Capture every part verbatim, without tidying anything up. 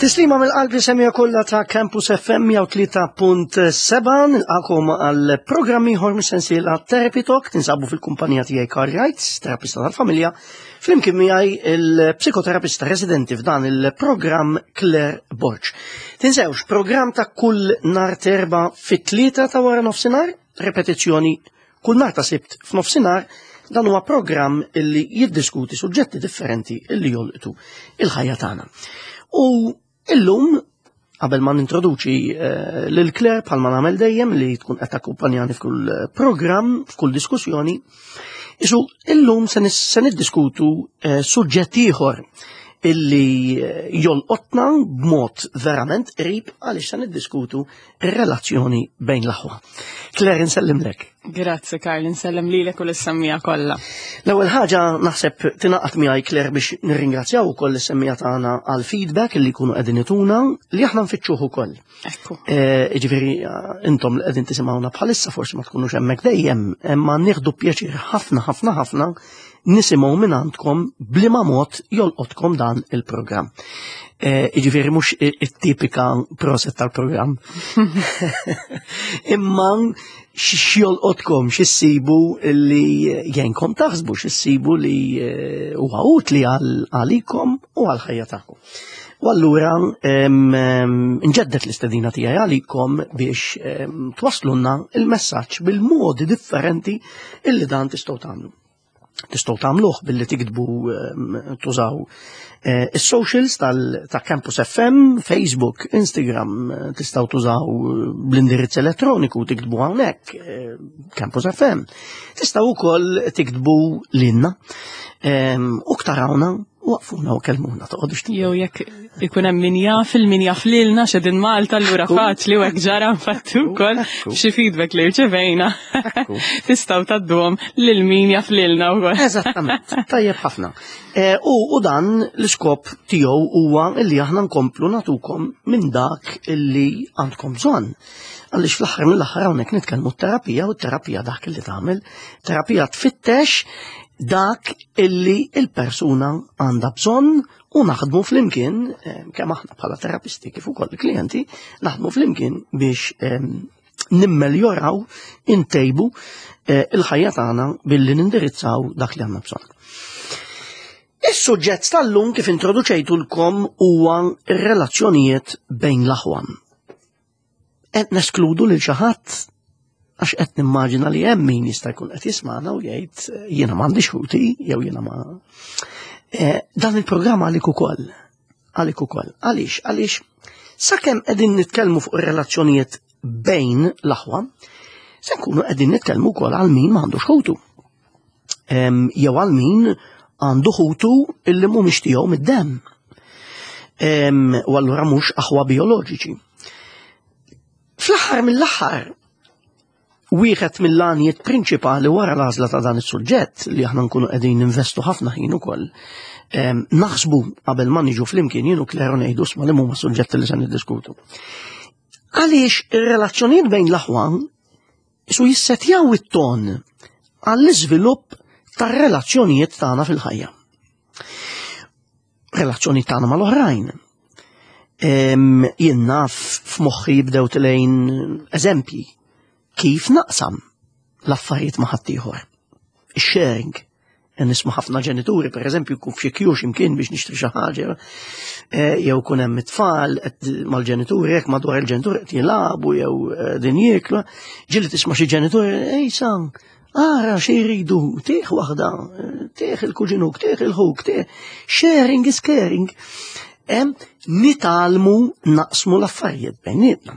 Tislima mill-qalb lis-semmiegħa kollha ta' Campus F M mija u tlieta punt sebgħa, nilqagħkom għal programm ieħor mis-sensiela Therapy Talk. Tinsabu fil-kumpanija tiegħi Karl Wright, terapista tal-familja, flimkien miegħi il-psikoterapista residenti f'dan il-programm Claire Borg. Tinsewx, programm ta' kull nhar t'Erbgħa fit-tlieta ta' wara nofsinhar, repetizzjoni kull nhar ta' Sibt f'nofsinhar. Dan huwa programm illi jiddiskuti suġġetti differenti illi jolqtu il-ħajja tagħna. U illum, qabel ma nintroduċi eh, lil Claire bħalma nagħmel dejjem li tkun qed takkumpanjani f'kull programm, f'kull diskussjoni, isu illum se niddiskutu eh, suġġett ieħor illi eh, jolqotna b'mod verament qrib, għaliex se niddiskutu ir-relazzjoni bejn l-aħwa. Claire, nsellimlek. Grazzi Karl, nsellem lilek u lis-semmiegħa kollha. L-ewwel ħaġa, naħseb tingħaqad miegħi Claire biex nirringrazzjaw ukoll is-semmiegħa tagħna għal feedback li jkunu qegħdin ituna, li aħna nfittxuh ukoll. Ekku. Eh, Ġifieri intom li qegħdin tisimgħuna bħalissa forsi ma tkunux hemmhekk dejjem, imma nieħdu pjaċir ħafna ħafna ħafna nisimgħu minn għandkom b'liema mod jolqotkom dan il-programm. Eh, Ġifieri mhux it-tipika proset tal-programm. Imma x'jolqotkom, x'issibu li jgħinkom taħsbu, x'issibu li eh, huwa utli għalikom u għal-ħajja tagħkom. U allura nġeddet l-istedina tiegħi għalikom biex twaslunna il-messaġġ bil-modi differenti illi dan tistgħu tagħmlu. Tistgħu tagħmluh billi tiktbu, tużaw eh, is-socials ta' Campus F M, Facebook, Instagram, tistgħu tużaw l-indirizz elettroniku, tiktbu hawnhekk eh, Campus F M. Tistgħu wkoll tiktbu lilna u tarawna, waqfuna u kelmuna, toqgħodux. Jew jekk ikun hemm min jaf il min jaf lilna x'edin Malta, allura faċli, u hekk ġara nfattu wkoll xi feedback li rċevejna. Tistgħu tgħadduhom lil min jaf lilna wkoll. Eżattament, tajjeb ħafna. Eh, u, u dan l-iskop tiegħu huwa illi aħna nkomplu nagħtukom minn dak illi għandkom bżonn. Għaliex fl-aħħar mill-aħħar hawnhekk nitkellmu terapija, u terapija dak illi tagħmel, terapija tfittex dak illi il-persuna għandha bżonn u naħdmu flimkien, eh, kemm aħna bħala terapisti kif ukoll il-klijenti, naħdmu flimkien biex eh, nimmeljoraw, intejbu eh, il-ħajja tagħna billi nindirizzaw dak li għandna bżonn. Is-suġġett tal-lum, kif introduċejtulkom, huwa ir-relazzjonijiet bejn l-aħwa. Qed neskludu lil xi ħadd? Għax qed nimmaġina li hemm min jista' jkun qed jismagħna u jgħid, "Jiena m'għandix ħuti" jew "Jiena ma". Eh, dan il-programm għalik ukoll. Għalik ukoll. Għaliex? Għaliex sakemm qegħdin nitkellmu fuq ir-relazzjonijiet bejn l-aħwa, se nkunu qegħdin nitkellmu wkoll għal min m'għandux ħutu. Jew għal min għandu ħutu illi mhumiex tiegħu mid-demm. U allura mhux aħwa bioloġiċi. Fl-aħħar mill-aħħar, wieħed mill-għanijiet prinċipali wara l-għażla ta' dan is-suġġett li aħna nkunu qegħdin ninvestu ħafna ħin ukoll naħsbu qabel ma niġu flimkien jien u Claire ngħidu, "Isma', li huma suġġetti li se niddiskutu?" Għaliex ir-relazzjonijiet bejn l-aħwa su jissetjaw it-ton għall-iżvilupp tar-relazzjonijiet tagħna fil-ħajja. Relazzjoni tagħna mal-oħrajn. Jien naf, f'moħħi jibdew telgħin eżempji kif naqsam l-affarijiet ma' ħaddieħor. Sharing. Nisma' ħafna ġenituri, per eżempju, jkun f'xi queue x'imkien biex nixtri xi ħaġa, eh, jew kun hemm it-tfal mal-ġenituri, jekk madwar il-ġenituri qed jilagħbu jew eh, din jieklu, ġieli tisma' xi ġenituri, "Ej san, ara xi jridu, tih waħda, tih il-kuġinuk, tih il-ħuk, tih." Sharing is caring. Nitgħallmu naqsmu l-affarijiet bejnietna.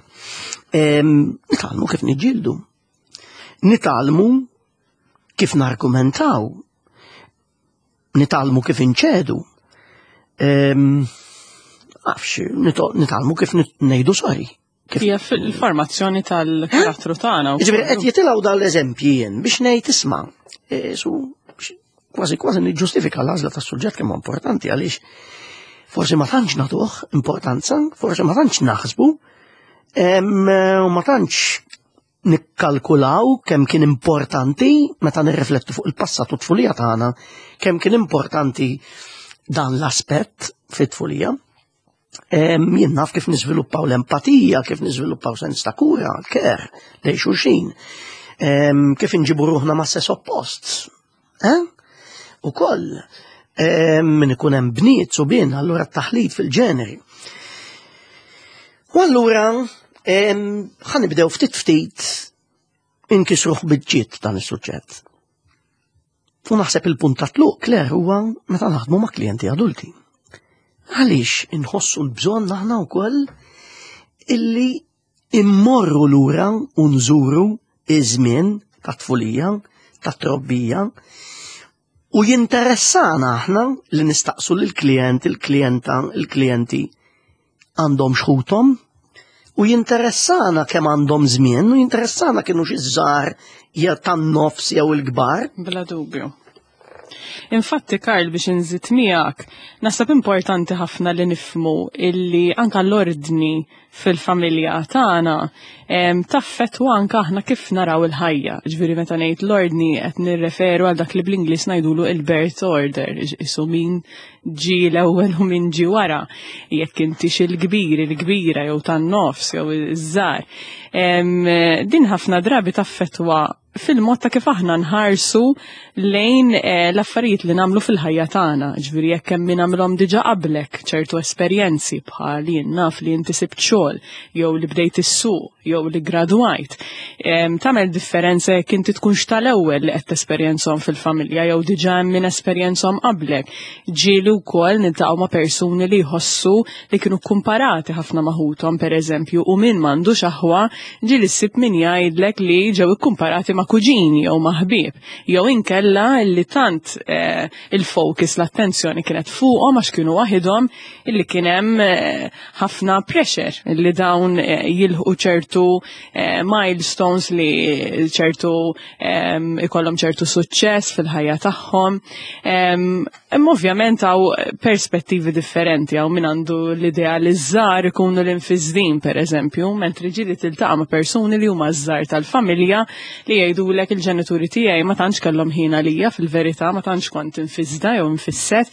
Nitgħallmu kif niġġieldu. Nitgħallmu kif nargumentaw. Nitgħallmu kif inċedu. Għafx, nitgħallmu kif ngħidu sorry. Hija fil-formazzjoni tal-karattru tagħna. Ġifieri qed jitilgħu dal-eżempji jien biex ngħid, isma', e, su kważi kważi niġġustifika l-għażla tas-suġġett kemm importanti, għaliex forsi ma tantx nagħtuh importanza, forsi ma tantx naħsbu, u ma tantx nikkalkulaw kemm kien importanti meta nirriflettu fuq il-passat u tfulija tagħna, kemm kien importanti dan l-aspett fit-tfulija. Jien naf kif niżviluppaw l-empatija, kif niżviluppaw sens ta' kura, care, lejn xulxin. Kif inġibu ruħna ma' sess oppost. Eh? U koll, min ikun hemm bniet u bin, allura t-taħlit fil-ġeneri. U allura ħa nibdew ftit ftit inkisruh biċċiet dan is-suġġett. U naħseb il-punt ta' tluq, Claire, huwa meta naħdmu ma' klijenti adulti. Għaliex inħossu l-bżonn aħna wkoll illi immorru lura u nżuru iż-żmien ta' tfulija, ta' trobbija, u jinteressana aħna li nistaqsu lill-klient, il-klijenta, il-klijenti għandhom xħutom, u jinteressana kemm għandhom żmien, u jinteressana kienu xi żgħar jew tan-nofs jew il-kbar. Bla dubju. Infatti, Karl, biex inżid miegħek, naħseb importanti ħafna li nifhmu illi anka l-ordni fil-familja tagħna taffettwa anka aħna kif naraw il-ħajja. Ġifieri meta ngħid l-ordni qed nirreferu għal dak li bl-Ingliż ngħidulu il-birth order, isu min ġi l-ewwel u min ġi wara, jekk inti il-kbir, il-kbira jew tan-nofs jew iż-żgħar. Din ħafna drabi taffettwa fil-mod ta' kif aħna nħarsu lejn eh, l-affarijiet li nagħmlu fil-ħajja tagħna. Ġifieri jekk hemm min għamilhom diġà qablek ċertu esperjenzi bħal jien naf li inti sibt xogħol jew li bdejt issuq jew li gradwajt. Tagħmel differenza jekk inti tkunx tal-ewwel li qed tesperjenzhom fil-familja jew diġà hemm min esperjenzhom qablek. Ġieli wkoll niltaqgħu ma' persuni li jħossu li kienu kumparati ħafna ma' ħuthom pereżempju u min m'għandux aħwa ġieli ssib min jgħidlek li ġew ikkumparati ma' kuġini jew ma' ħbieb jew inkella li tant eh, il-focus l-attenzjoni kienet fuqhom għax kienu waħidhom illi kien hemm eh, ħafna pressure illi dawn eh, jilħqu ċertu milestones li ċertu ikollhom ċertu suċċess fil-ħajja tagħhom. Imma ovvjament hawn perspettivi differenti hawn min għandu l-idea li ż-żgħar ikunu l-imfisdin pereżempju, mentri ġieli tiltaqa' ma' persuni li huma ż-żgħar tal-familja li jgħidulek il-ġenituri tiegħi ma tantx kellhom ħin għalija fil-verità ma tantx kont infisda jew infisset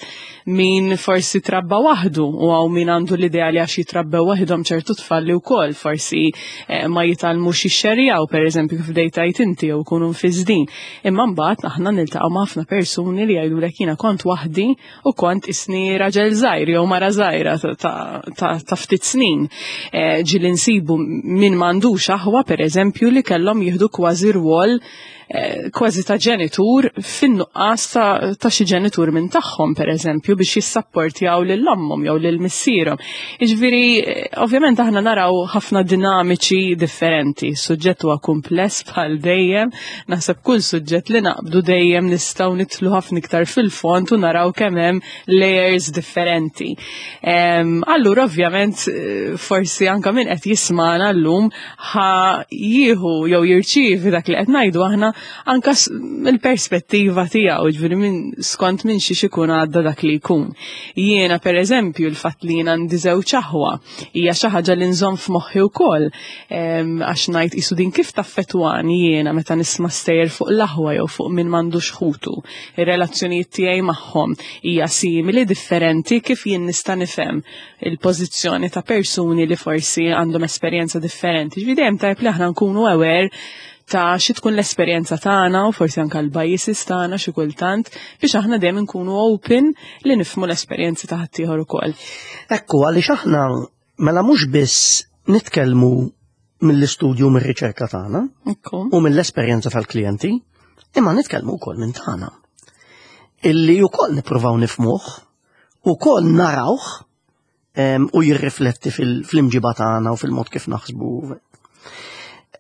min forsi trabba waħdu u hawn min għandu l-idea li għax jitrabbew waħidhom ċertu tfal li wkoll forsi eh, ma jitgħallmux jixxerjaw pereżempju kif bdejt inti jew ikunu mfisdin. Imma mbagħad aħna niltaqgħu ma' ħafna persuni li jgħidulek jiena kont waħdi u kont isni raġel żgħir jew mara żgħira ta' ftit snin. Eh, ġieli nsibu min m'għandux aħwa pereżempju li kellhom jieħdu kważi rwol eh, kważi ta' ġenitur fin-nuqqas ta' xi ġenitur minn tagħhom pereżempju biex jissapportjaw lil ommhom jew lil missierhom. Jiġifieri eh, ovvjament aħna naraw ħafna dinamiċi differenti. Suġġett huwa kumpless bħal dejjem, naħseb kull suġġett li naqbdu dejjem nistgħu nidħlu ħafna iktar fil-fond u naraw kemm hemm layers differenti. Allura ovvjament eh, forsi anka min qed jismana llum ħa jieħu jew jirċievi dak li qed ngħidu aħna anka mill-perspettiva tiegħu, ġifieri minn skont minn xiex ikun għadda dak li jkun. Jiena pereżempju l-fatt li jiena għandi żewġ aħwa hija xi ħaġa li nżomm f'moħħi wkoll għax ngħid qisu din kif taffettwani jiena meta nisma' stejjer fuq l-aħwa jew fuq min m'għandux ħutu. Ir-relazzjonijiet tiegħi magħhom hija simili differenti kif jien nista' nifhem il-pożizzjoni ta' persuni li forsi għandhom esperjenza differenti. Ġifieri dejjem tajb li aħna nkunu aware ta' xi tkun l-esperjenza tagħna u forsi anke l-biases tagħna xi kultant biex aħna dejjem nkunu open li nifhmu l-esperjenzi ta' ħaddieħor ukoll. Ekku, għaliex aħna mela mhux biss nitkellmu mill-istudju mir-riċerka tagħna u mill-esperjenza tal-klijenti, imma nitkellmu wkoll minn tagħna. Illi wkoll nippruvaw nifhmuh, ukoll narawh u jirrifletti fil-imġiba tagħna u fil-mod kif naħsbu.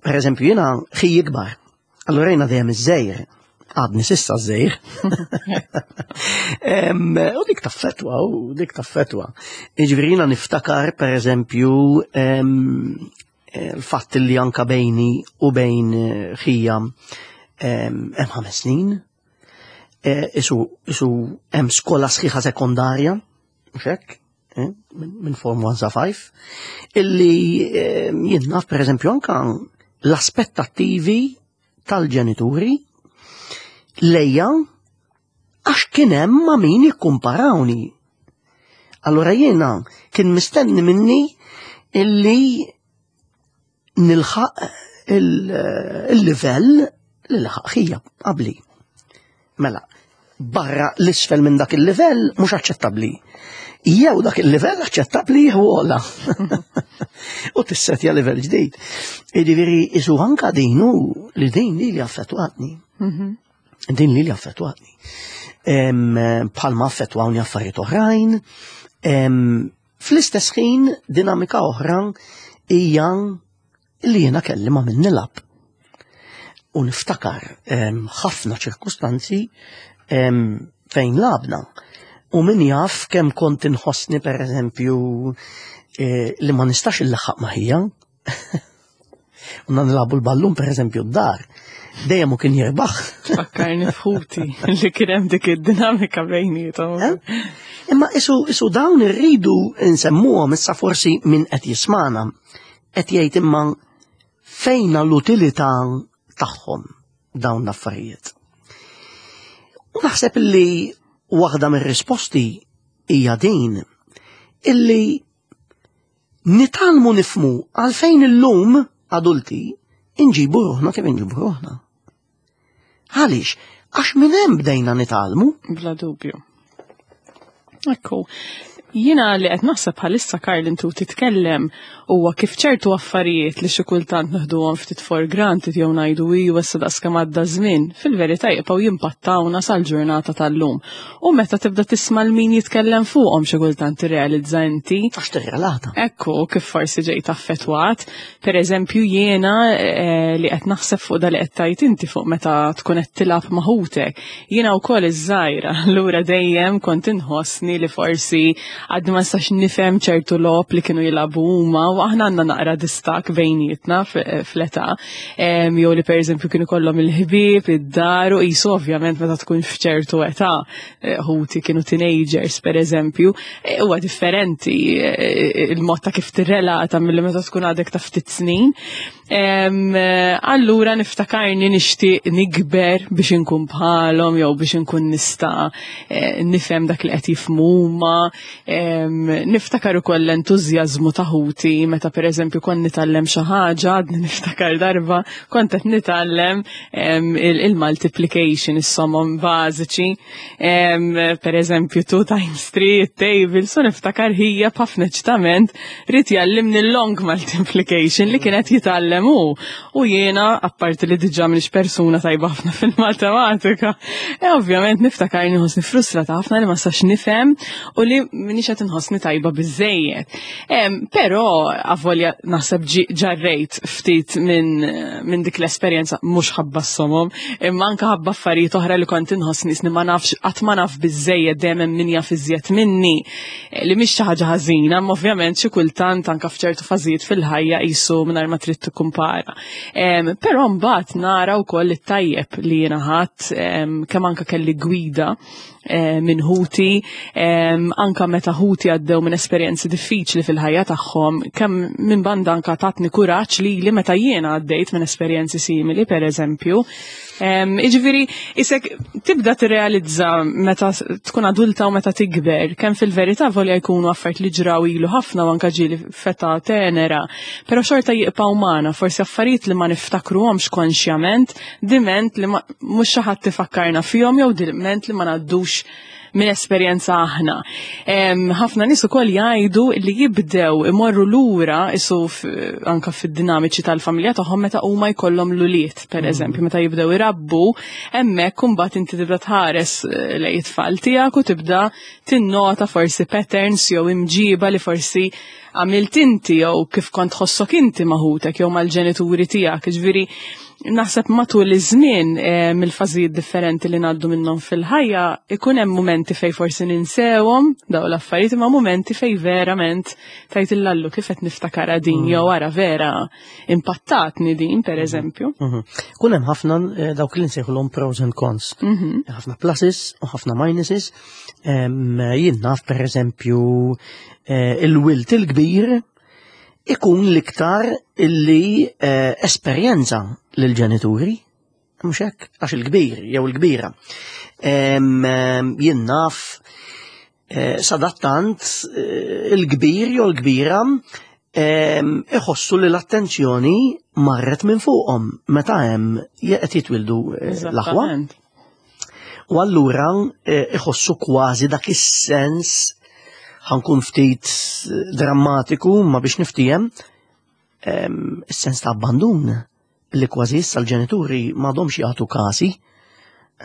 Per eżempju, jiena ħija ikbar. Allura jiena dejjem iż-żgħir, għadni s'issa żgħir. U dik taffettwa, u dik taffettwa. Jiġifieri jiena niftakar, per eżempju, il-fatt li anka bejni u bejn ħija hemm ħames snin. Isu isu hemm skola sħiħa sekondarja, mhux hekk? Minn Form one sa five, illi jien naf per eżempju anka l-aspettattivi tal-ġenituri lejja għax kien hemm ma' min jikkumparawni. Allura jiena kien mistenni minni illi nilħaq il-livell li laħaq ħija qabli. Mela, barra l-isfel minn dak il-livell mhux aċċettabbli. Jew dak il-livell aċċettabbli jew ogħla. U tissetja livell ġdid. Jiġifieri isu anka din hu li din li li affettwatni. Mhm. Din li li affettwatni. Bħalma affettwawni affarijiet oħrajn. Fl-istess ħin dinamika oħra hija li jiena kelli ma' min nilgħab. U niftakar ħafna ċirkustanzi fejn lgħabna. U min jaf kemm kont inħossni per eżempju eh, li ma nistax illaħħaq ma' ħija. U nilagħbu l-ballun per eżempju d-dar. Dejjem u kien jirbaħ. Fakkarni f'ħuti li kien hemm dik id-dinamika bejniethom. Eh? Imma isu, isu dawn irridu nsemmuhom issa forsi min qed jismana qed jgħid imma fejna l-utilità tagħhom dawn l-affarijiet. U naħseb li waħda mir-risposti hija din illi nitgħallmu nifhmu għalfejn illum adulti inġibu ruħna kif inġibu ruħna. Għaliex? Għax minn hemm bdejna nitgħallmu. Bla dubju. Ekku, jiena li qed naħseb bħalissa Karl intu titkellem huwa kif ċertu affarijiet li xi kultant neħduhom ftit for granted jew ngħidu iju issa daqs kemm għadda żmien, fil-verità jibqgħu jimpattawna sal-ġurnata tal-lum. U meta tibda tisma' l min jitkellem fuqhom xi kultant tirrealizza inti. Għax tirrelata. Ekku, kif forsi ġejt affettwat. Per eżempju, jiena eh, li qed naħseb fuq da li qed tajt inti fuq meta tkun qed tilgħab ma' ħutek. Jiena wkoll iż-żgħira, allura dejjem kont inħossni li forsi għadni ma nistax nifhem ċertu logħob li kienu jilagħbu huma u aħna għandna naqra distak bejnietna fl-età. Jew li pereżempju kienu kollhom il-ħbieb, id-dar u qisu ovvjament meta tkun f'ċertu età, eh, ħuti kienu teenagers pereżempju, eh, huwa differenti eh, il-mod ta' kif tirrelata milli meta tkun għadek ta' ftit snin. Allura niftakarni nixtieq nikber biex inkun bħalhom jew biex inkun nista' nifhem dak li qed jifhmu huma. Niftakar ukoll l-entużjażmu ta' ħuti meta pereżempju kont nitgħallem xi ħaġa, għadni niftakar darba kont qed nitgħallem il-multiplication, is-somom bażiċi. Pereżempju two times three, it-table, so niftakar ħija b'ħafna eċitament ried jgħallimni l-long multiplication li kienet jitgħallem hu. U jiena, apparti li diġà m'iniex persuna tajba ħafna fil-matematika, e ovvjament niftakar nħossni frustrata ħafna li ma nistax nifhem u li m'iniex qed inħossni tajba biżejjed. Però avolja naħseb ġarrejt ftit minn min dik l-esperjenza mhux ħabba s-somom, imma anke ħabba affarijiet oħra li kont inħossni isni ma nafx qatt ma naf biżejjed dejjem hemm min jaf iżjed minni li mhix xi ħaġa ħażina, imma ovvjament xi kultant anke f'ċertu fażijiet fil-ħajja qisu mingħajr ma trid tikkumpara. Però mbagħad nara wkoll it-tajjeb li jiena ħadd kemm anke kelli gwida minn ħuti, anka meta ħuti għaddew minn esperjenzi diffiċli fil-ħajja tagħhom, kemm minn banda anka tatni kuraġġ li li meta jiena għaddejt minn esperjenzi simili, per eżempju. Iġifieri, isek tibda tirrealizza meta tkun adulta u meta tikber, kemm fil-verità volja jkunu affarijiet li ġraw ilu ħafna u anka ġieli f'età tenera, però xorta jibqgħu magħna, forsi affarijiet li ma niftakruhomx konxjament, diment li mhux xi ħadd tifakkarna fihom jew diment li ma ngħaddux minn esperjenza aħna. Ħafna nies ukoll jgħidu li jibdew imorru lura isu anka fid-dinamiċi tal-familja tagħhom meta huma jkollhom l-ulied, per eżempju, meta jibdew irabbu, hemmhekk imbagħad inti tibda tħares lejn it-tfal tiegħek u tibda tinnota forsi patterns jew imġiba li forsi għamilt inti jew kif kont tħossok inti ma' ħutek jew mal-ġenituri tiegħek. Ġifieri naħseb matul iż-żmien mill-fażijiet differenti li ngħaddu minnhom fil-ħajja ikun hemm mumenti fej forsi ninsewhom dawn l-affarijiet imma mumenti fej verament tajt il-lallu kif qed niftakara din jew wara vera impattatni din per eżempju. Kun hemm ħafna dawk li nsejħulhom pros and cons. Ħafna pluses u ħafna minuses. Jien naf per eżempju il-wild il-kbir ikun l-iktar illi esperjenza lill-ġenituri, mhux hekk, għax il-kbir jew il-kbira. Jien naf Eh, sadattant eh, il-kbir jew l-kbira ehm, iħossu li l-attenzjoni marret minn fuqhom meta hemm qed jitwildu eh, l-aħwa. U allura iħossu kważi dak is-sens, ħa nkun ftit drammatiku ma biex niftiehem, ehm, is-sens ta' abbandun li kważi issa l-ġenituri m'għadhomx jagħtu kasi,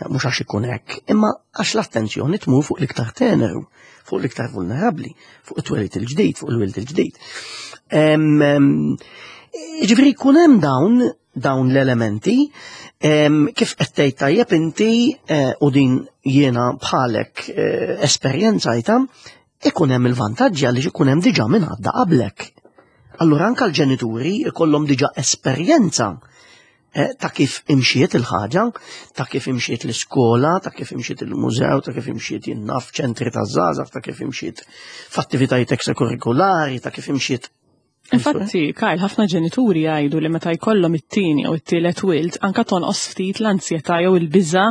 mhux għax ikun hekk, imma għax l-attenzjoni tmur fuq l-iktar teneru, fuq l-iktar vulnerabbli, fuq it-twelid il-ġdid, fuq il-wild il-ġdid. Ġifieri jkun hemm dawn dawn l-elementi, kif qed tgħid tajjeb inti, eh, u din jiena bħalek eh, esperjenzajta, ikun hemm il-vantaġġi għaliex ikun hemm diġà minn għadda qablek. Allura anka l-ġenituri ikollhom diġà esperjenza Eh, ta' kif imxiet il-ħaġa, ta' kif imxiet l-iskola, ta' kif imxiet il-mużew, ta' kif imxiet jien naf ċentri ta' żgħażagħ, ta' kif imxiet f'attivitajiet ekstrakurrikulari, ta' kif imxiet. Infatti, Kyle, ħafna ġenituri jgħidu li meta jkollhom it-tieni jew it-tielet wild, anka tonqos ftit l-ansjetà jew il-biża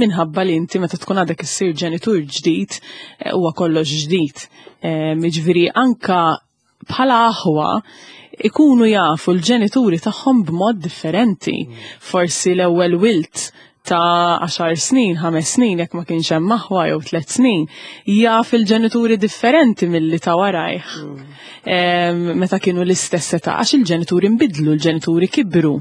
minħabba li inti meta tkun għadek issir ġenitur ġdid eh, huwa kollox ġdid. Eh, jiġifieri anka bħala aħwa ikunu jafu l-ġenituri tagħhom b'mod differenti. Forsi l-ewwel wild ta' għaxar snin, ħames snin, jekk ma kienx hemm aħwa jew tliet snin, jaf il-ġenituri differenti milli ta' warajh. Mm. Meta kienu l-istess età, għax il-ġenituri nbidlu, il-ġenituri kibru.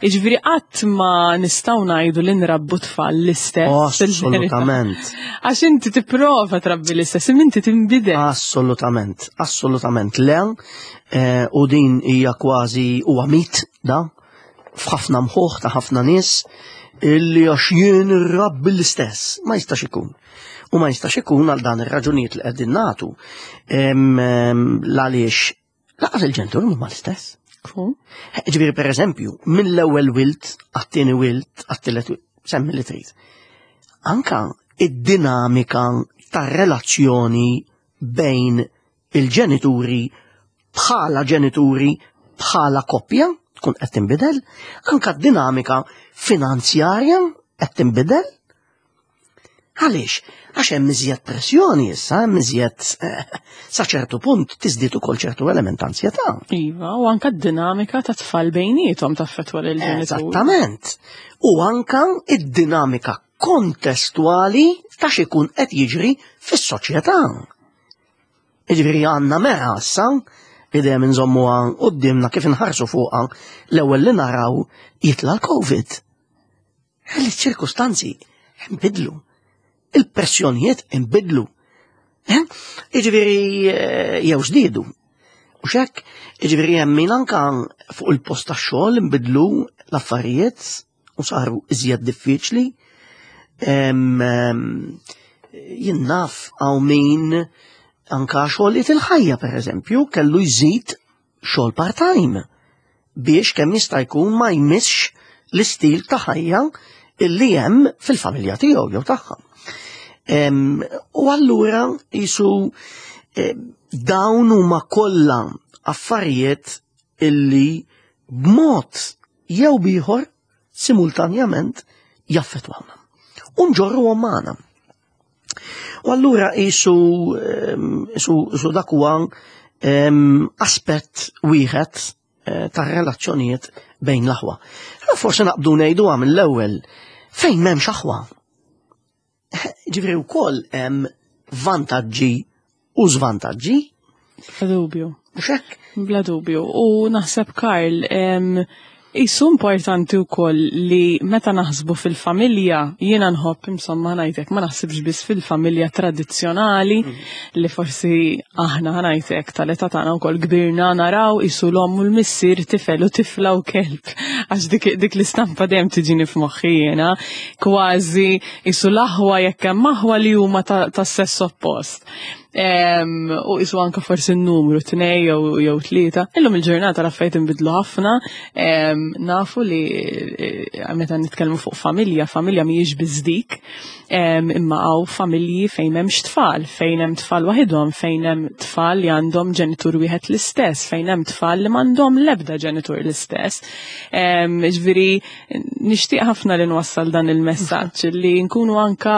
Jiġifieri qatt ma nistgħu ngħidu li nrabbu tfal l-istess. Assolutament. Għax inti tipprova trabbi l-istess, imma inti tinbidel. Assolutament, assolutament. Le, eh, u din hija kważi huwa mit da f'ħafna mħuħ ta' ħafna nies illi għax jien irrabbi l-istess. Ma jistax ikun. U ma jistax ikun għal dan ir-raġunijiet li qegħdin nagħtu. Għaliex lanqas il-ġenituri huma l-istess. Ġifieri per eżempju, mill-ewwel wild għat-tieni wild, għat-tielet wild, semmi li trid. Anka id-dinamika tar-relazzjoni bejn il-ġenituri bħala ġenituri bħala koppja tkun qed tinbidel, anka d-dinamika finanzjarja qed tinbidel. Għaliex? Għax hemm iżjed pressjoni issa, hemm iżjed eh, sa ċertu punt tiżdied ukoll ċertu element ta' ansjetà. Iva, u anka d-dinamika ta' tfal bejniethom taffettwa lil ġenituri. Eżattament. U anka id-dinamika kontestwali ta' x'ikun qed jiġri fis-soċjetà. Jiġifieri għandna mera issa li dejjem inżommuha qudiemna kif inħarsu fuqha l-ewwel li naraw jitla' l-Covid. Iċ-ċirkustanzi nbidlu. Il-pressjonijiet inbidlu. Jiġifieri jew żdiedu. U xek, jiġifieri hemm min anka fuq il-post tax-xogħol inbidlu l-affarijiet u saru iżjed diffiċli. Jien naf hawn min anka xogħlijiet il-ħajja per eżempju kellu jżid xogħol part-time biex kemm jista' jkun ma jmissx l-istil ta' ħajja illi hemm fil-familja tiegħu jew tagħha. U allura jisu dawn huma kollha affarijiet illi b'mod jew bieħor simultanjament jaffettwawna. U nġorruhom magħna. U allura jisu jisu dak huwa aspett wieħed tar relazzjonijiet bejn l-aħwa. Forsi naqbdu ngħidu mill-ewwel fejn m'hemmx aħwa. Ġifieri wkoll hemm vantaġġi u żvantaġġi. Bla dubju. Mhux hekk? Bla dubju. U naħseb Karl, jisu importanti wkoll li meta naħsbu fil-familja, jiena nħobb insomma ngħidlek ma naħsibx biss fil-familja tradizzjonali li forsi aħna ngħidlek tal-età tagħna wkoll kbirna naraw isu l-omm u l-missier tifel u tifla u kelb. Għax dik, dik l-istampa dejjem tiġini f'moħħi jiena, kważi isu l-aħwa jekk hemm aħwa li huma tas-sess oppost. U isu anka forsi n-numru tnej jew tlieta. Illum il-ġurnata l-affarijiet inbidlu ħafna, nafu li eh, meta nitkellmu fuq familja, familja mhijiex biss dik, imma hawn familji fejn hemmx tfal, fejn hemm tfal waħidhom, fejn hemm tfal li għandhom ġenitur wieħed l-istess, fejn hemm tfal li m'għandhom l-ebda ġenitur l-istess. Ġifieri nixtieq ħafna li nwassal dan il-messaġġ li nkunu anka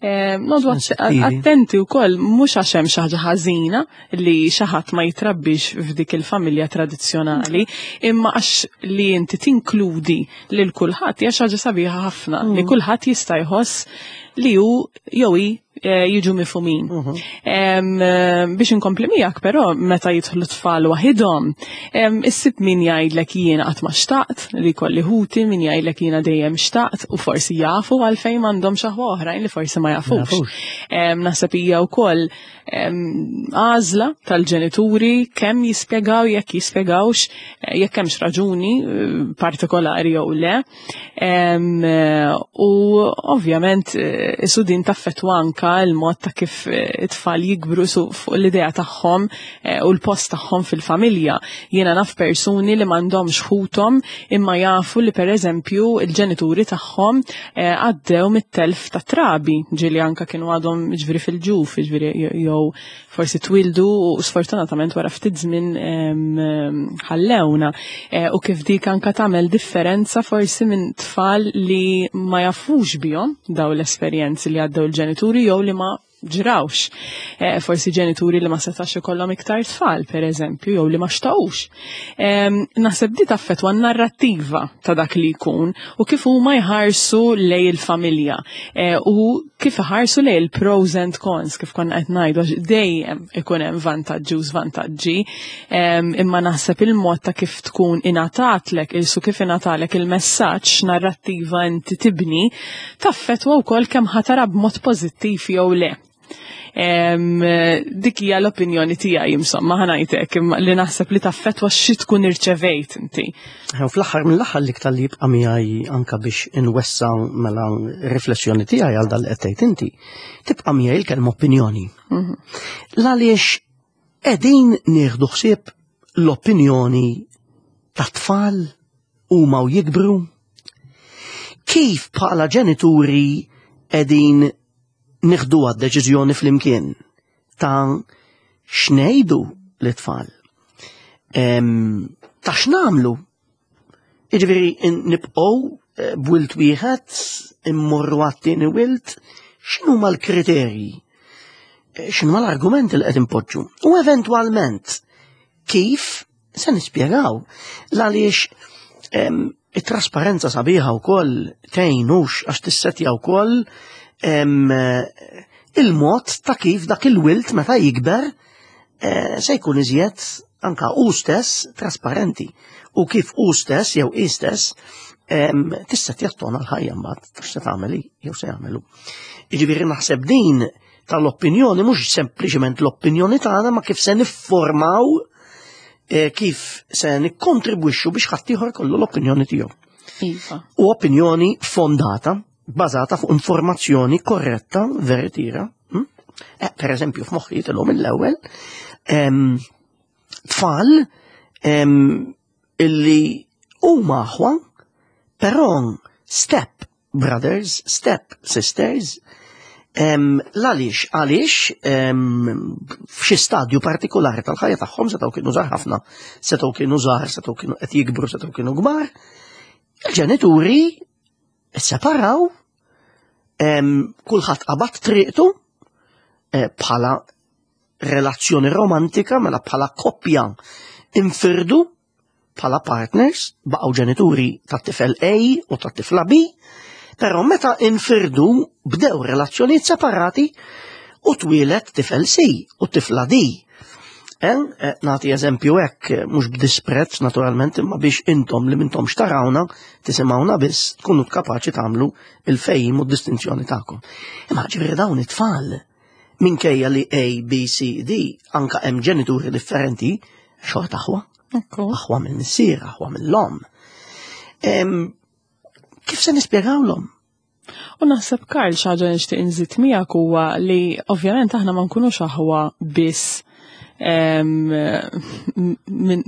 noqogħdu attenti wkoll, mhux għax hemm xi ħaġa ħażina li xi ħadd ma jitrabbix f'dik il-familja tradizzjonali, imma għax li inti tinkludi lil kulħadd hija xi ħaġa sabiħa ħafna li kulħadd jista' jħoss li hu jew hi eh, jiġu mifhumin. Em, Biex inkompli miegħek però, meta jidħlu tfal waħidhom, issib min jgħidlek jiena qatt ma xtaqt li kolli ħuti, min jgħidlek jiena dejjem xtaqt, u forsi jafu għalfejn m'għandhomx aħwa, oħrajn li forsi ma jafux. Jafux. Em, Naħseb hija wkoll em, għażla tal-ġenituri kemm jispjegaw, jekk jispjegawx, eh, jekk hemmx raġuni eh, partikolari jew le. Em, eh, U ovvjament eh, isu din taffettwa anka il-mod ta' kif eh, it-tfal jikbru su fuq l-idea tagħhom eh, u l-post tagħhom fil-familja. Jiena naf persuni li m'għandhomx ħuthom imma jafu li, pereżempju, il-ġenituri tagħhom eh, għaddew mit-telf ta' trabi, ġieli anka kienu għadhom, ġifieri, fil-ġuf, ġifieri jew forsi twildu u sfortunatament wara ftit żmien em, em, ħallewna. Eh, U kif dik anka tagħmel differenza forsi minn tfal li ma jafux bihom daw l-esperjenzi li għaddew il-ġenituri jew li ma ġrawx. Eh, forsi ġenituri li ma setax ikollhom iktar tfal, per eżempju, jew li ma xtaqux. Em, Naħseb di taffettwa n-narrattiva ta' dak li jkun u kif huma jħarsu lej il-familja eh, u kif iħarsu lej il-pros and cons, kif konna qed ngħidu, għax dejjem ikun hemm vantaġġi u żvantaġġi, em, imma naħseb il-mod ta' kif tkun ingħatatlek, isu kif ingħatalek il-messaġġ, narrattiva inti tibni, taffettwa wkoll kemm ħa tara b'mod pożittiv jew le. Em, dik hija l-opinjoni tiegħi, insomma, ħa ngħidlek, imma li naħseb li taffettwa xi tkun irċevejt inti. U fl-aħħar mill-aħħar, l-iktar li jibqa' miegħi, anka biex inwessa mela riflessjoni tiegħi għal dal qed tgħid inti, tibqa' miegħi l-kelma opinjoni. L-għaliex qegħdin nieħdu ħsieb l-opinjoni ta' tfal huma u jikbru? Kif bħala ġenituri qegħdin nieħdu deċiżjoni flimkien ta' x'ngħidu lit-tfal? Em, Ta' x'nagħmlu? Jiġifieri nibqgħu eh, b'wild wieħed, immorru għat-tieni wild, x'inhuma l-kriterji? Eh, X'inhuma l-argumenti li qed impoġġu? U eventwalment kif se nispjegaw? L-għaliex em, it-trasparenza sabiħa wkoll tgħinux għax tissetja wkoll em, eh, il-mod ta' kif dak il-wild meta jikber eh, se jkun iżjed anka u stess trasparenti u kif u stess jew i stess em, tista' jattona l-ħajja mbagħad ta' se tagħmel jew se jagħmelu. Jiġifieri naħseb din tal-opinjoni mhux sempliċement l-opinjoni tagħna, ma kif se niffurmaw, eh, kif se nikkontribwixxu biex ħaddieħor kollu l-opinjoni tiegħu. Iva. U opinjoni fondata, bażata fuq informazzjoni korretta, veritiera. hm? Eh, per eżempju, f'moħħi jitilhom mill-ewwel em, tfal em, illi huma aħwa, però step brothers, step sisters, em, l-għaliex, għaliex em, f'xi stadju partikolari tal-ħajja tagħhom, setgħu kienu żgħar ħafna, setgħu kienu żgħar, setgħu kienu qed jikbru, setgħu kienu kbar, il-ġenituri separaw, em, kulħadd qabad triqtu eh, bħala relazzjoni romantika, mela bħala koppja infirdu bħala partners, baqgħu ġenituri tat-tifel A u tat-tifla B, però meta infirdu bdew relazzjonijiet separati u twieled tifel C u tifla D. Eh, eh, nagħti eżempju hekk, eh, mhux b'disprezz naturalment, imma biex intom li m'intom xtarawna, tisimgħuna biss, tkunu kapaċi tagħmlu il-fejm u d-distinzjoni tagħkom. Imma ġifieri dawn it-tfal, minkejja li A, B, C, D, anka hemm ġenituri differenti, xorta aħwa, Ekku. aħwa mill-missier, aħwa mill-omm. Em, Kif se nispjegawlhom? U naħseb, Karl, xi ħaġa nixtieq inżid miegħek huwa li ovvjament aħna ma nkunux aħwa biss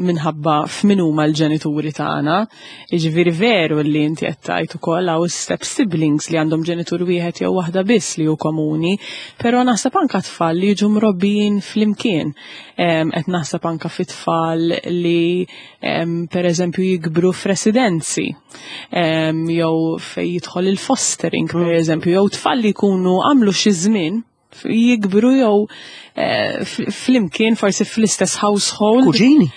minħabba f'min huma l-ġenituri tagħna. Jiġifieri veru li inti qed tgħid ukoll hawn step siblings li għandhom ġenitur wieħed jew waħda biss li hu komuni, però naħseb anka tfal li jiġu mrobbijin flimkien. Qed naħseb anka fit-tfal li pereżempju jikbru f'residenzi jew fejn jidħol il-fostering pereżempju, jew tfal li jkunu għamlu xi żmien jikbru jew eh, flimkien forsi fl-istess household. Kuġini.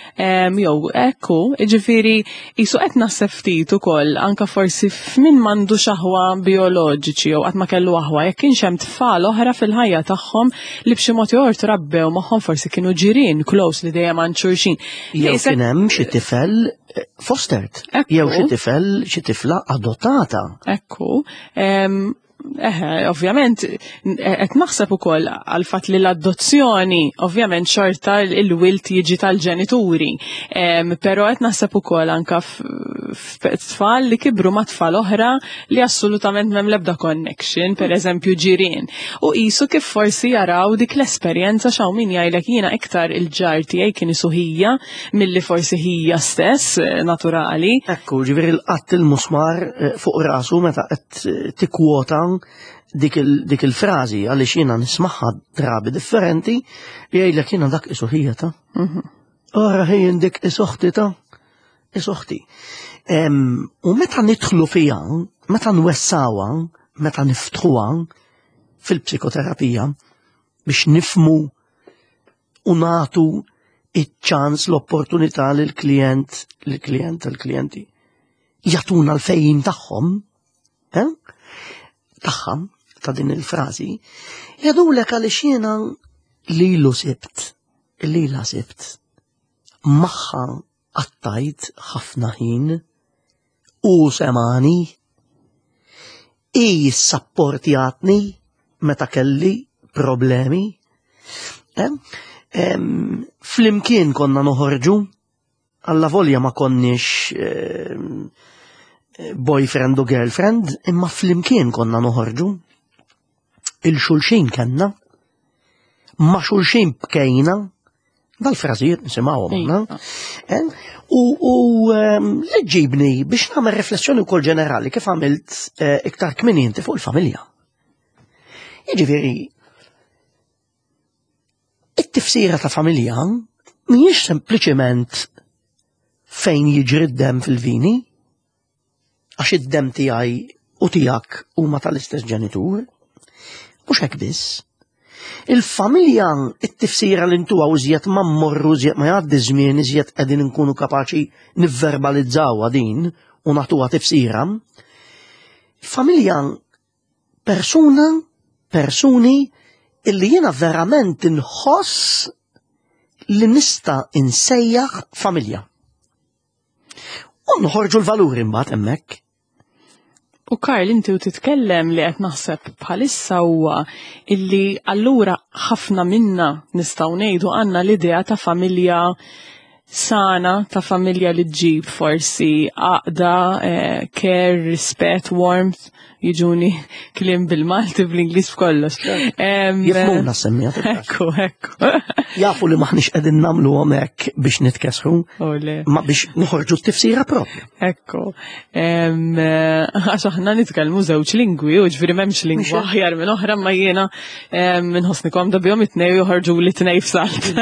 Jew ekku, ġifieri jisu qed naħseb ftit ukoll anka forsi f'min m'għandux aħwa bioloġiċi jew qatt ma kellu aħwa, jekk kienx hemm tfal oħra fil-ħajja tagħhom li b'xi mod jew trabbew magħhom, forsi kienu ġirien close li dejjem għand xulxin. Jew kien hemm xi tifel eh, fostered. Jew xi tifel, xi tifla adottata. Ekku. Eħe, ovvjament, qed naħseb ukoll għal fatt li l-adozzjoni, ovvjament xorta il-wild jiġi tal-ġenituri. Però qed naħseb ukoll anka f'tfal li kibru ma' tfal oħra li assolutament m'hemm l-ebda connection, per eżempju ġirien. U qisu kif forsi jaraw dik l-esperjenza, xaw min jgħidlek jiena iktar il-ġar tiegħi kien isu ħija milli forsi ħija stess eh, naturali. Ekku, ġifieri l-qatt il-musmar eh, fuq rasu meta qed tikkwota dik il-frażi, għaliex jiena nismagħha drabi differenti, jgħidlek jiena dak isu ħija ta'. Mhm. Ora ħejjen dik isuħti ta' isuħti. U meta nidħlu fija, meta nwessawha, meta niftħuha fil-psikoterapija biex nifmu u natu iċ-ċans, l-opportunità lill-klient, lill-klient, l-klijenti jagħtuna l-fehim tagħhom, eh? tagħha ta' din il-frażi, jgħidulek għaliex jiena lilu sibt, lila sibt, magħha qattajt ħafna ħin u semagħni, i sapportjatni meta kelli problemi. Eh? Flimkien konna noħorġu, alla volja ma konniex boyfriend u girlfriend, imma flimkien konna noħorġu. Lil xulxin kellna, ma' xulxin bkejna, dal-frażijiet nisimgħuhom aħna. Eh? U u, ehm, li ġibni biex nagħmel riflessjoni wkoll ġenerali kif għamilt eh, iktar kmieni inti fuq il-familja. Jiġifieri, it-tifsira ta' familja mhijiex sempliċement fejn jiġri d-dem fil-vini, għax id-dem tiegħi u tiegħek huma tal-istess ġenitur. Mhux hekk biss. Il-familja, it-tifsira li ntuha u iżjed ma mmorru, iżjed ma jgħaddi żmien, iżjed qegħdin nkunu kapaċi nivverbalizzawha din u nagħtuha tifsira. Familja persuna, persuni illi jiena verament inħoss li nista' insejjaħ familja. U nħorġu l-valuri mbagħad hemmhekk. U Karl, inti u titkellem, li qed naħseb bħalissa huwa illi allura ħafna minna nistgħu ngħidu għandna l-idea ta' familja sana, ta' familja li ġġib forsi għaqda, eh, care, rispett, warmth, jiġuni kliem bil-Malti, bl-Ingliż, f'kollox. Em, Jifhmuna semmija. Ekku, ekku. Jafu li maħniex qegħdin nagħmlu hekk biex nitkesħu, U le. ma biex noħorġu t-tifsira propja. Ekku. Em, eh, Għax aħna nitkellmu żewġ lingwi, u ġifieri m'hemmx lingwa aħjar minn oħra, ma jiena em, nħossni komda bihom it-tnejn, joħorġu li tnej f'salt.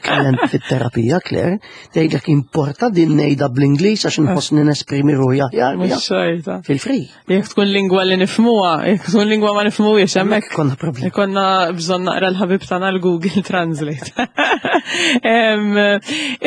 Klient fit-terapija, Claire, tgħidlek importa din ngħidha bl-Ingliż għax nħossni nesprimi ruħi aħjar. Mhux xorta. Fil-free. Jekk tkun lingwa li nifhmuha, jekk tkun lingwa ma nifhmuhiex hemmhekk Konna problemi. Ikonna bżonn naqra l-ħabib tagħna l-Google Translate. Em,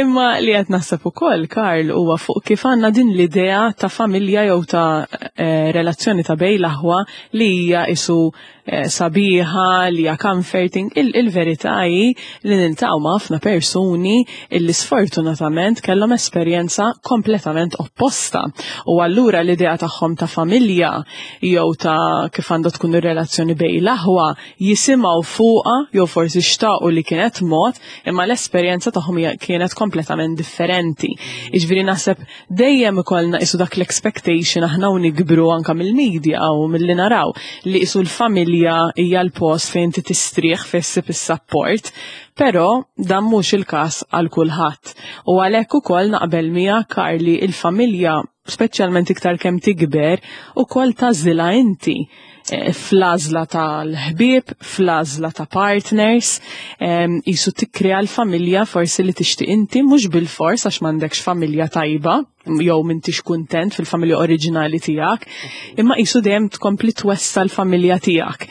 Imma li qed naħseb ukoll, Karl, huwa fuq kif għandna din l-idea ta' familja jew ta' eh, relazzjoni ta' bejn l-aħwa li hija isu eh, sabiħa, li hija comforting. Il- Il-verità hi li niltaqgħu ma' ħafna persuni illi sfortunatament kellhom esperjenza kompletament opposta. U allura l-idea tagħhom ta' familja jew jew ta' kif għandha tkun ir-relazzjoni bejn l-aħwa jisimgħu fuqha jew forsi xtaqu li kienet mod, imma l-esperjenza tagħhom kienet kompletament differenti. Jiġifieri naħseb dejjem ikollna qisu dak l-expectation aħna u nikbru anka mill-media u milli naraw li qisu l-familja hija l-post fejn inti tistrieħ fejn issib is-support, però dan mhux il-każ għal kulħadd. U għalhekk ukoll naqbel miegħek Karli il-familja speċjalment iktar kemm tikber, ukoll tagħżilha inti eh, fl-għażla tal-ħbieb, fl-għażla ta' partners, qisu tikkrea l-familja forsi li tixtieq inti mhux bil-fors għax m'għandekx familja tajba jew m'intix kuntent fil-familja oriġinali tiegħek, imma qisu dejjem tkompli twessa l-familja tiegħek.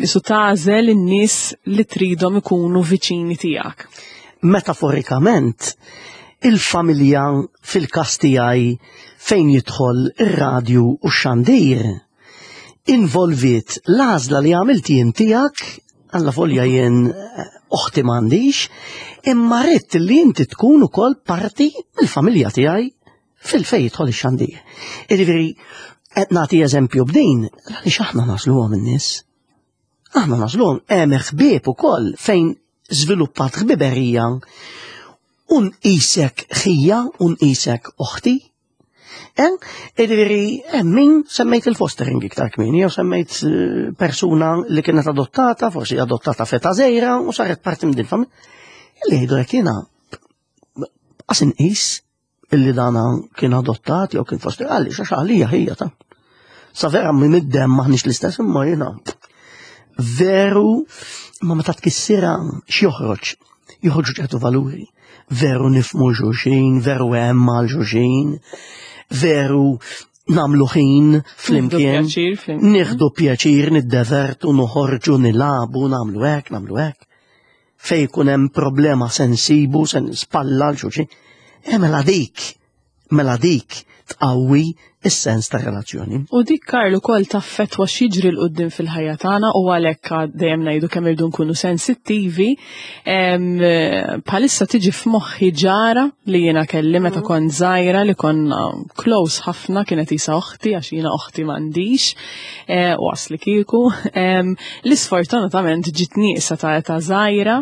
Qisu tagħżel in-nies li tridhom ikunu viċini tiegħek. Metaforikament, il-familja fil-każ tiegħi fejn jidħol ir-radju u x-xandir involviet l-għażla li għamilt jien tiegħek, alla volja jien eh, oħti m'għandix, imma ridt li inti tkun ukoll parti mill-familja tiegħi fil-fejn jidħol ix-xandir. Jiġifieri qed nagħti eżempju b'din, għaliex aħna nagħżluhom in-nies. Aħna nagħżluhom hemm ħbieb ukoll fejn żviluppat ħbiberija u nqisek ħija u nqisek oħti. Jiġifieri, hemm min semmejt il-fostering iktar kmieni, jew semmejt eh, persuna li kienet adottata, forsi adottata f'età żgħira u saret parti minn din familja. Illi jgħidu hekk jiena qas inqis illi dana kien adottat jew kien foster għaliex għax għalija ħija ta'. Sa vera minn id-demm maħniex l-istess imma jiena veru ma meta tkissira x'joħroġ? Joħorġu ċertu valuri. Veru nifhmu xulxin, veru hemm għal xulxin, veru nagħmlu ħin flimkien. pjaċir flimkien. Nieħdu pjaċir, niddevertu, noħorġu, nilagħbu, nagħmlu hekk, nagħmlu hekk. Fejn ikun hemm problema se nsibu, se spalla 'l xulxin. E mela dik, mela dik tqawwi is-sens ta' relazzjoni. U dik Karl ukoll taffettwa x'jiġri 'l quddiem fil-ħajja tagħna u għalhekk dejjem ngħidu kemm irdu nkunu sensittivi. Em, Bħalissa tiġi f'moħħi ġara li jiena kelli meta kont żgħira li konna close ħafna kienet isa oħti għax jiena oħti m'għandix eh, u asli kieku. Em, Li sfortunatament ġiet nieqsa ta' età żgħira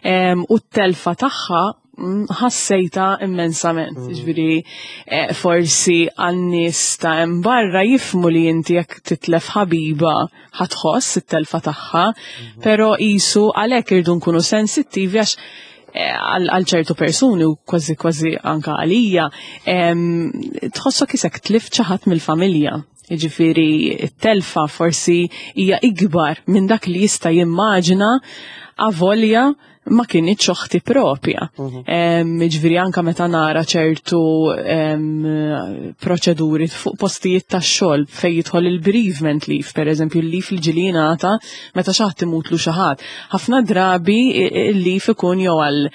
em, u t-telfa tagħha mm, ħassejta immensament. Ġifieri, eh, forsi għan-nies ta' hemm barra jifhmu li inti jekk titlef ħabiba ħa tħoss it-telfa tagħha, però qisu għalhekk irdu nkunu sensittivi għax eh, għal għal ċertu persuni u kważi kważi anka għalija, em, tħossok qisek tlift xi ħadd mill-familja. Jiġifieri t-telfa forsi hija ikbar minn dak li jista' jimmaġina avolja ma kinitx oħti propja. Em, Ġifieri anka meta nara ċertu em, proċeduri fuq postijiet ta' xogħol fejn jidħol il-bereavement leave, per eżempju il-leave li ġieli jingħata meta xi ħadd imutlu xi ħadd. Ħafna drabi il-leave ikun jew għal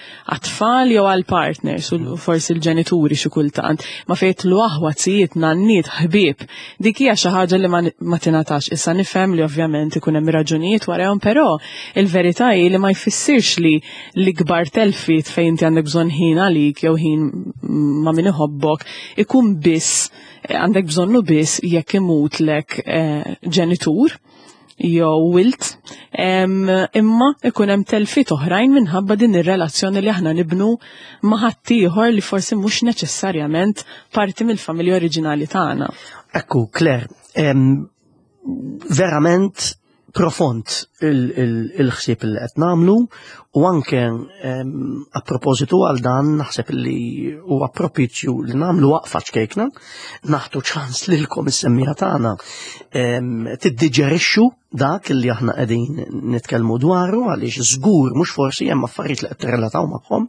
tfal jew għal partners u forsi l-ġenituri xi kultant. Ma fejn jidħlu aħwa, zijiet, nanniet, ħbieb. Dik hija xi ħaġa li ma ma tingħatax. Issa nifhem li ovvjament ikun hemm raġunijiet warahom, però il-verità hi li ma jfissirx li l-ikbar telfiet fejn inti għandek bżonn ħin għalik jew ħin ma' min iħobbok ikun biss għandek bżonnu biss jekk imutlek eh, ġenitur jew wild, em, imma ikun hemm telfiet oħrajn minħabba din ir-relazzjoni li aħna nibnu ma' ħaddieħor li forsi mhux neċessarjament parti mill-familja oriġinali tagħna. Ekku, Claire, em, verament profond il-ħsieb il, il li qed nagħmlu u anke em, a propositu għal dan naħseb li huwa propizju li nagħmlu waqfa ċkejkna, nagħtu ċans lilkom is-semmiegħa tagħna em, tiddiġerixxu dak li aħna qegħdin nitkellmu dwaru għaliex żgur mhux forsi hemm affarijiet li qed tirrelataw magħhom.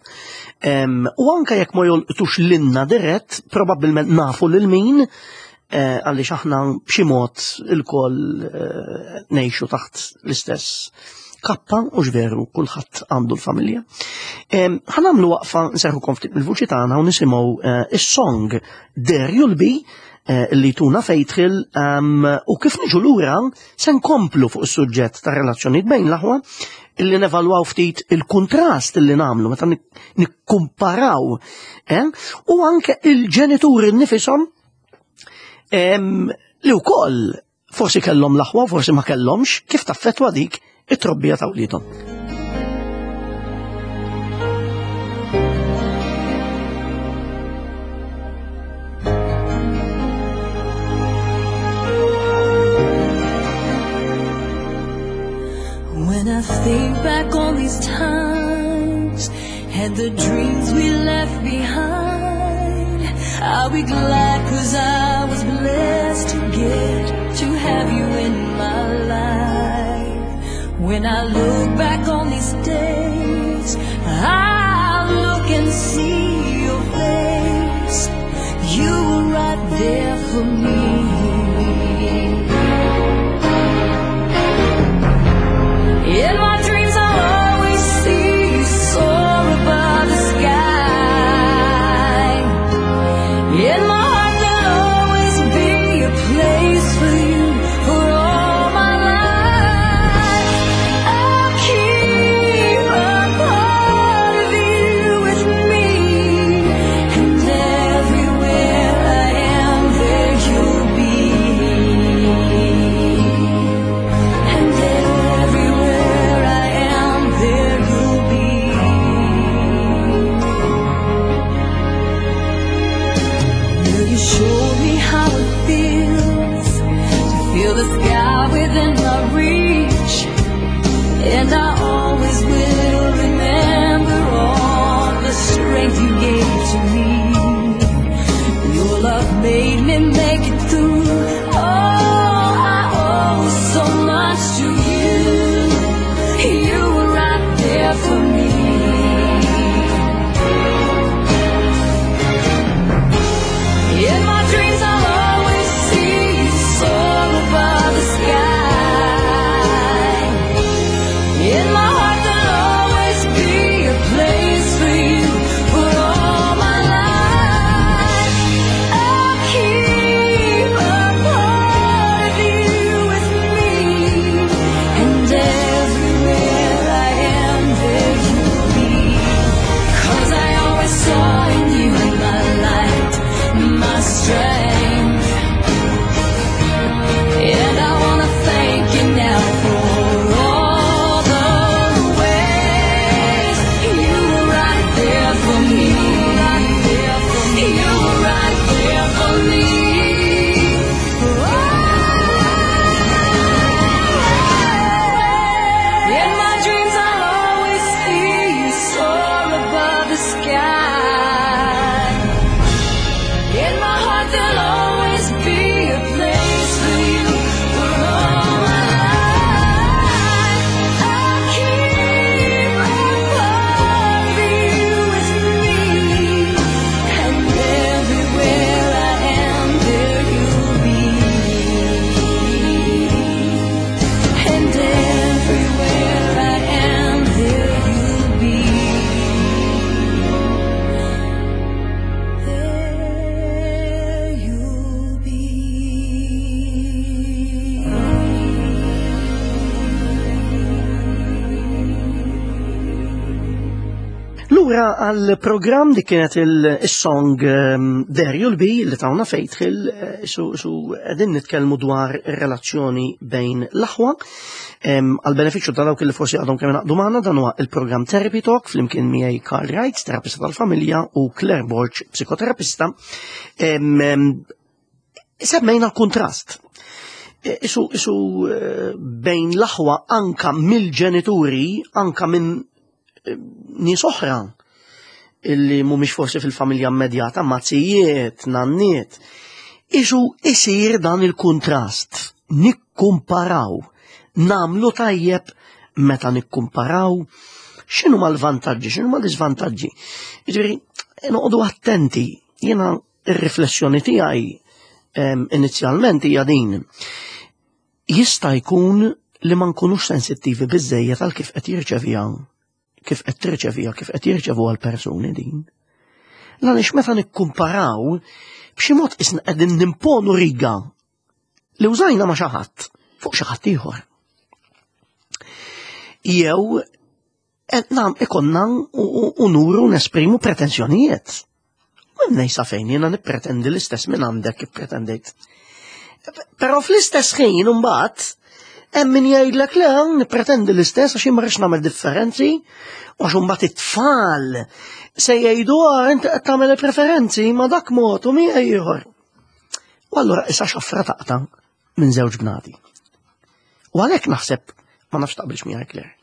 Em, U anke jekk ma jolqtux lilna dirett, probabbilment nafu lil min eh, għaliex aħna b'xi mod ilkoll eh, ngħixu taħt l-istess kappa u veru kulħadd għandu l-familja. Em, Ħa nagħmlu waqfa nserrħukom ftit mill-vuċi tagħna u nisimgħu eh, is-song There You'll Be eh, li tuna Faith Hill um, u kif niġu lura se nkomplu fuq is-suġġett ta' relazzjonijiet bejn l-aħwa illi nevalwaw ftit il-kontrast illi nagħmlu meta nik- nikkumparaw eh? u anke il-ġenituri nifishom em, li wkoll forsi kellhom l-aħwa, forsi ma kellhomx, kif taffettwa dik it-trobbija ta' wliedhom. When I think back on these times and the dreams we left behind, I'll be glad 'cause I was blessed to get to have you in my life. When I look back on these days, I'll look and see your face. You were right there for me. In my dreams I'll always see you soar above the sky. In my heart there'll always be a place for you for all my life. I'll keep a part of you with me, and everywhere I am there you'll be. And everywhere I am there you'll be. Will you show me how it feels to feel the sky within my reach? And I always will remember all the strength you gave to me. Your love made me make it through. Oh, I owe so much to you. You were right there for me. In my dreams I'll always see you soar above the sky. In my heart there'll always be a place for you for all my life. I'll keep a part of you with me, and everywhere I am there you'll be. 'Cause I always saw in you my light, my strength. And I wanna thank you now for all the ways you were right there for me. You were right there for me. In my dreams I'll always see you soar above the sky. In my heart there'll always be a place for you for all my life. I'll keep a part of you with me, and everywhere I am there you'll be. And everywhere I am there you'll be. There you'll be. Lura għal-programm li kienet il-song um, There You'll Be li tawna Faith Hill, eh, su, su qegħdin nitkellmu dwar ir-relazzjoni bejn l-aħwa. Em, Għal-benefiċċju ta' dawk li forsi għadhom kemm ingħaqdu magħna, dan huwa il-programm Therapy Talk flimkien miegħi Karl Wright, terapista tal-familja, u Claire Borg, psikoterapista. Em, em, Semmejna l-kontrast. E, Isu, isu eh, bejn l-aħwa anka mill-ġenituri, anka minn eh, nies oħra illi mhumiex forsi fil-familja immedjata, mazzijiet, nanniet. Isu isir dan il-kontrast. Nikkumparaw. Namlu tajjeb meta nikkumparaw. X'inhu mal-vantaġġi, x'inhu mal-iżvantaġġi. Jiġifieri, noqogħdu attenti. Jiena ir-riflessjoni tiegħi em, inizjalment hija din. Jista' jkun li ma nkunux sensittivi biżejjed għal kif qed jirċeviha, kif qed tirċeviha, kif qed jirċevu għal persuni din. Għaliex meta nikkumparaw, b'xi mod isna qegħdin nimponu riga li użajna ma' xi ħadd fuq xi ħadd ieħor. Jew qed nam ikonna u nuru nesprimu pretenzjonijiet. U nejsa fejn jiena nippretendi l-istess minn għandek kif pretendejt. Però fl-istess ħin imbagħad hemm min jgħidlek le, nippretendi l-istess għax jien ma rridx nagħmel differenzi, u għax imbagħad it-tfal se jgħidu, "Ah, inti qed tagħmel il-preferenzi ma dak mod u miegħi ieħor." U allura issa xafra taqta' minn żewġ bnadi. U għalhekk naħseb, ma nafx taqbilx miegħi, Claire.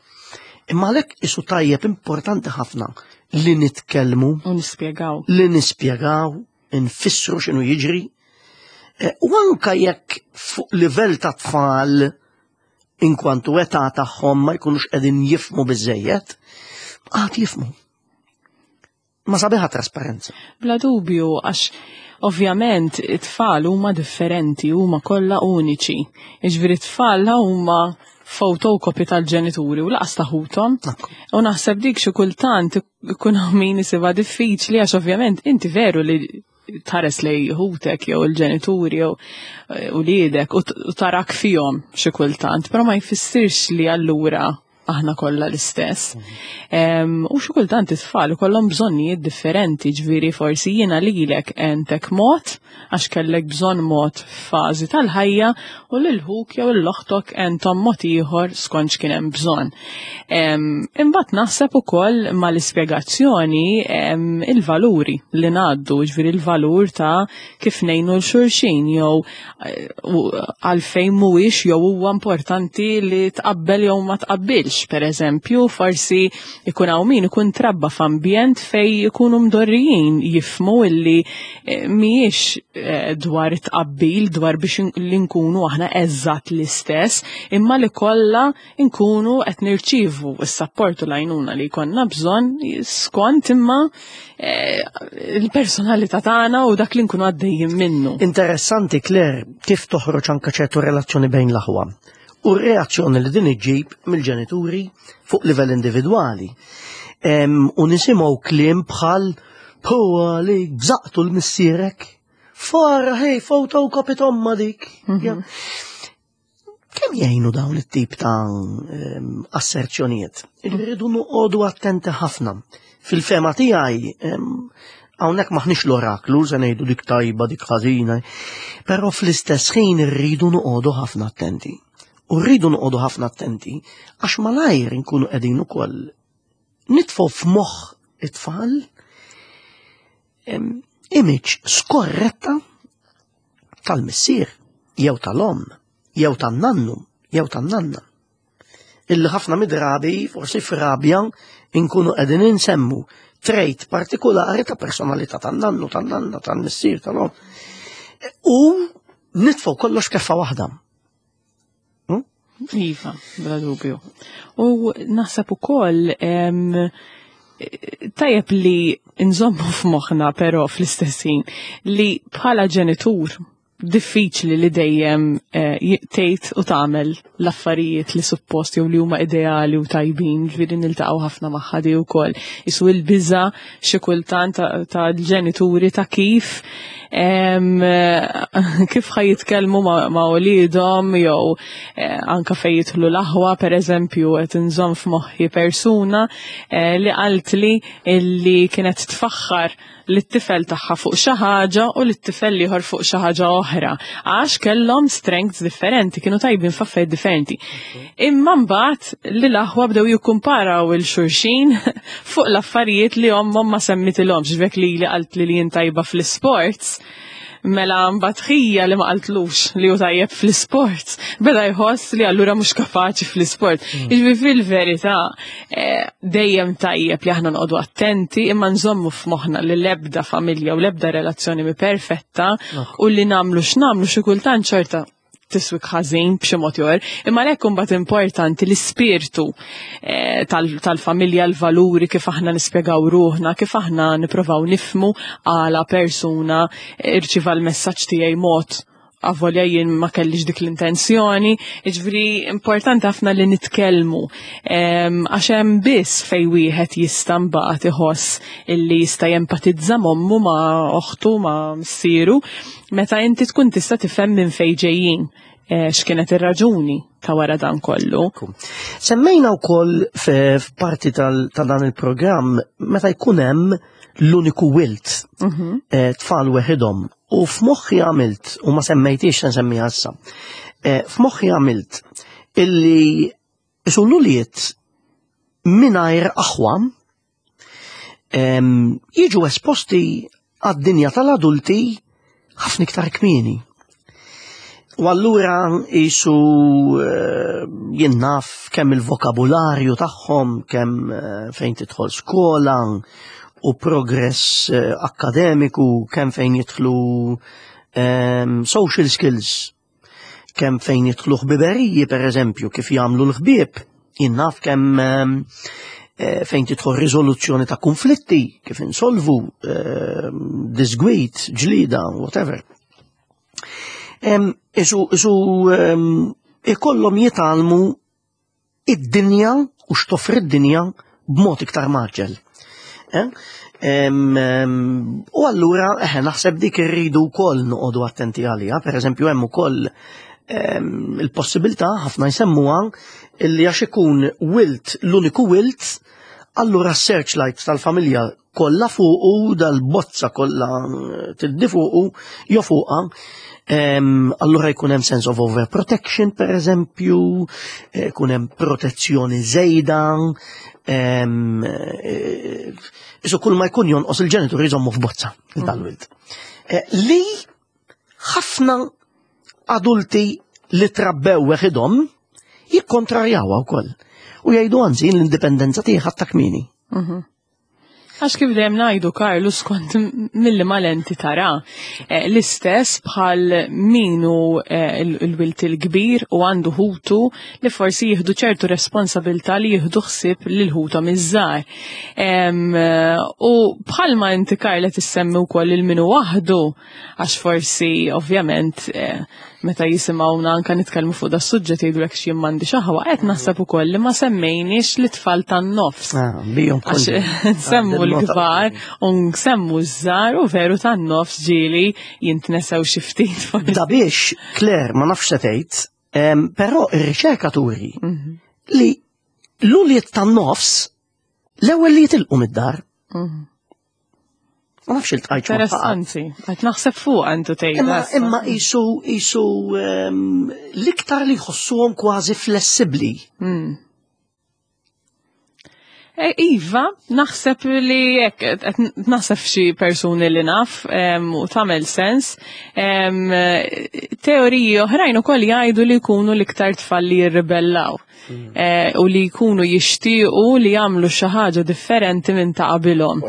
Imma għalhekk isu tajjeb, importanti ħafna li nitkellmu U nispjegaw. Li nispjegaw, nfissru x'inhu jiġri. Eh, U anka jekk fuq livell ta' tfal inkwantu età tagħhom ma jkunux qegħdin jifhmu biżejjed, għad jifhmu. Ma sabiħa trasparenza. Bla dubju, għax ovvjament it-tfal huma differenti, huma kollha uniċi. Jiġifieri t-tfal huma photocopy tal-ġenituri u lanqas ta' ħuthom. U naħseb dik xi kultant ikun hawn min isibha diffiċli, għax ovvjament inti veru li tħares lej ħutek jew il-ġenituri jew eh, uliedek u t- u tarak fihom xi kultant, però ma jfissirx li allura aħna kollha l-istess. Em, U xi kultant it-tfal ikollhom bżonnijiet differenti, ġifieri forsi jiena lilek għentek mod għax kellek bżonn mod f'fażi tal-ħajja u lil ħuk jew lil oħtok għenthom mod ieħor skont x'kien hemm bżonn. Em, Imbagħad naħseb ukoll mal-ispjegazzjoni em, il-valuri li ngħaddu, ġifieri il-valur ta' kif ngħinu 'l xulxin jew eh, u għalfejn mhuwiex jew huwa importanti li tqabbel jew ma tqabbilx. Per eżempju, forsi ikun hawn min ikun trabba f'ambjent fej ikunu mdorrijin jifhmu illi eh, mhijiex eh, dwar tqabbil, dwar biex in- li nkunu aħna eżatt l-istess, imma li kollha nkunu qed nirċievu s-sapport u l-għajnuna li jkollna bżonn skont imma eh, il-personalità tagħna u dak li nkunu għaddejjin minnu. Interessanti, Claire, kif toħroġ anka ċertu relazzjoni bejn l-aħwa u r-reazzjoni li din iġġib mill-ġenituri fuq livell individwali. Em, U nisimgħu kliem bħal "Puwa li bżaqtu l-missierek. Fara, hej, photocopy t'ommha dik." Ja. Kemm jgħinu dawn it-tip ta' em, asserzjonijiet? Irridu noqogħdu attenti ħafna. Fil-fehma tiegħi, em, hawnhekk maħniex l-oraklu, se ngħidu dik tajba, dik ħażina, però fl-istess ħin irridu noqogħdu ħafna attenti. U rridu noqogħdu ħafna attenti għax malajr inkunu qegħdin ukoll nitfgħu f'moħħ it-tfal em, image skorretta tal-missier jew tal-omm jew tan-nannu jew tan-nanna. Illi ħafna mid-drabi, forsi f'rabja, inkunu qegħdin insemmu trait partikolari ta' personalità tan-nannu, tan-nanna, tal-missier, tal-omm. U nitfgħu kollox keffa waħda. Iva, bla dubju. U naħseb ukoll em, tajjeb li nżommu f'moħħna, però fl-istess ħin li bħala ġenitur diffiċli li dejjem eh, tgħid u tagħmel l-affarijiet li suppost jew li huma ideali u tajbin, ġifieri niltaqgħu ħafna magħha di wkoll. Isu il-biża xi kultant ta' ġenituri ta' kif em, kif ħa jitkellmu ma', ma uliedhom jew eh, anka fejn jidħlu l-aħwa, per eżempju, qed inżomm f'moħħi persuna eh, li qaltli illi kienet tfaħħar lit-tifel tagħha fuq xi ħaġa u lit-tifel ieħor fuq xi ħaġa oħra. Għax kellhom strengths differenti, kienu tajbin f'affarijiet differenti. Imma mbagħad li l-aħwa bdew jikkumparaw 'il xulxin fuq l-affarijiet li ommhom ma semmitilhomx, ġvek li li qalt li li jien tajba fl-sports, mela mbagħad ħija li ma qaltlux li hu tajjeb fl-isport, beda jħoss li allura mhux kapaċi fl-isport. Jiġifieri fil-verità eh, dejjem tajjeb li aħna noqogħdu attenti imma nżommu f'moħħna li l-ebda familja u l-ebda relazzjoni mi perfetta u li nagħmlu x'nagħmlu xi kultant xorta tiswik ħażin b'xi mod ieħor, imma għalhekk imbagħad importanti l-ispirtu eh, tal-familja, l-valuri, kif aħna nispjegaw ruħna, kif aħna nipprovaw nifhmu għala persuna irċiva l-messaġġ tiegħi mod avolja jien ma kellix dik l-intenzjoni, ġifieri importanti ħafna li nitkellmu, għax hemm biss fej wieħed jista' mbagħad iħoss illi jista' jempatizza m'ommu, ma' oħtu, ma' missieru, meta inti tkun tista' tifhem minn fejn ġejjin, eh, x'kienet ir-raġuni ta' wara dan kollu. Semmejna wkoll f'parti ta' dan il-programm meta jkun hemm l-uniku wild, mhm. eh, tfal weħidhom. U f'moħħi għamilt, u ma semmejtix se nsemmiha issa, eh, f'moħħi għamilt illi isu l-ulied mingħajr aħwa em, jiġu esposti għad-dinja tal-adulti ħafna iktar kmieni. U allura jisu eh, jien naf kemm il-vokabularju tagħhom, kemm eh, fejn tidħol skola u progress eh, akkademiku, kemm fejn jidħlu em, social skills, kemm fejn jidħlu ħbiberiji per eżempju, kif jagħmlu l-ħbieb, jien naf kemm em, eh, fejn tidħol riżoluzzjoni ta' konflitti, kif insolvu, em, disgwit, ġlida, whatever. Em, Isu, isu em, ikollhom jitgħallmu id-dinja u x'toffri id-dinja b'mod iktar mgħaġġel. Eh? Em, em, U allura eħe naħseb dik irridu wkoll noqogħdu attenti għaliha, per eżempju hemm ukoll em, il-possibilità ħafna jsemmuha illi għax ikun wilt l-uniku wilt, allura searchlight tal-familja kollha fuqu, dal-bozza kollha tiddi fuqu, jo fuqha, em, allura jkun hemm sense of overprotection, per eżempju, eh, jkun hemm protezzjoni żejda, em, eh, isu kull ma jkun jonqos il-ġenituri jżommu f'bozza dal-wild. Eh, Li ħafna adulti li trabbew weħidhom jikkontrarjawha wkoll. U jgħidu anzi l-indipendenza tiegħi ħadtha kmieni. Għax kif dejjem ngħidu Karlu skont milli mal-enti tara. Eh, L-istess bħal minu eh, il- il-wilt il-kbir u għandu ħutu li forsi jieħdu ċertu responsabilità li jieħdu ħsieb lil ħuthom iż-żgħar. Em, eh, U bħalma inti Karla tissemmi wkoll il minu waħdu għax forsi ovvjament eh, meta jisimgħuna anka nitkellmu fuq da suġġett jgħidulek x'jien m'għandix aħwa, qed naħseb ukoll li ma semmejniex l-itfal tan-nofs. Ah, bijom Għax nsemmu l-kbar u nsemmu ż-żgħar u veru tan-nofs ġieli jintnesew xi ftit forsi. Da biex, Claire, ma nafx se tgħid, em, però ir-riċerka turi Mhm, li l-ulied tan-nofs l-ewwel li jitilqu mid-dar. mhm. Ma nafx iltqajtx ma' ħadd. Interessanti, qed naħseb fuq għandu tgħid. Imma imma isu isu em, l-iktar li jħossuhom kważi flessibbli. Mm. E, Iva, naħseb li jekk, qed naħseb xi persuni li naf em, u tagħmel sens. Em, Teoriji oħrajn ukoll jgħidu li jkunu l-iktar tfal li jirribellaw. Eh, u li jkunu jixtiequ li jagħmlu xi ħaġa differenti minn ta' qabilhom.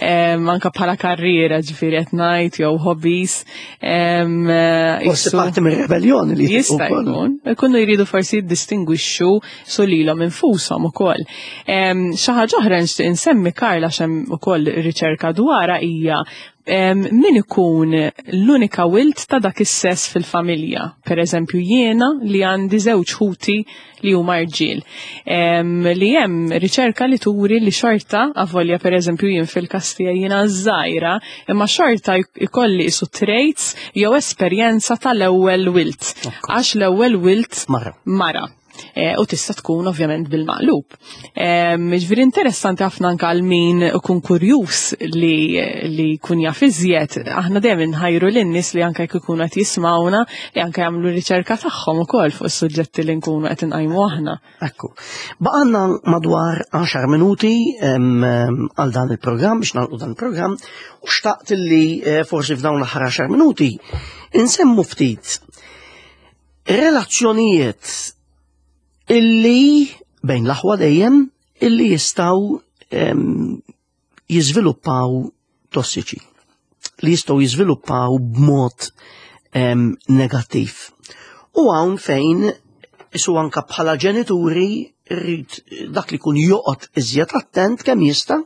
Em, Anka bħala karriera ġifieri qed ngħid jew hobbies. Em, eh, Forsi isu- parti mir-rebellioni li Jista' jitilqu wkoll. jkun. Ikunu jridu forsi jiddistingwixxu su lilhom infushom ukoll. Em, Xi ħaġa oħra nixtieq insemmi Karla x'hemm ukoll riċerka dwarha hija em, min ikun l-unika wilt ta' dak is-sess fil-familja. Per eżempju jiena li għandi żewġ ħuti li huma rġiel. Em, Li hemm riċerka li turi li xorta, avolja per eżempju jien fil-każ tiegħi jiena żgħira, imma xorta jkolli isu traits jew esperjenza tal-ewwel wilt. Għax l-ewwel wilt Mara. mara. E, u tista' tkun ovvjament bil-maqlub. Ġifieri interessanti ħafna anke għal min ikun kurjuż li li jkun jaf iżjed. Aħna dejjem inħajru lin-nies li anke jekk ikunu qed jismawna li anke jagħmlu riċerka tagħhom ukoll fuq is-suġġetti li nkunu qed inqajmu aħna. Ekku. Baqgħalna madwar għaxar minuti em, em, għal dan il-programm, biex nagħlqu dan il-programm, u xtaqt li eh, forsi f'dawn l-aħħar għaxar minuti insemmu ftit relazzjonijiet illi bejn l-aħwa dejjem illi jistgħu em, jiżviluppaw tossiċi, li jistgħu jiżviluppaw b'mod em, negattiv. U hawn fejn isu anka bħala ġenituri rrid dak li kun joqgħod iżjed attent kemm jista'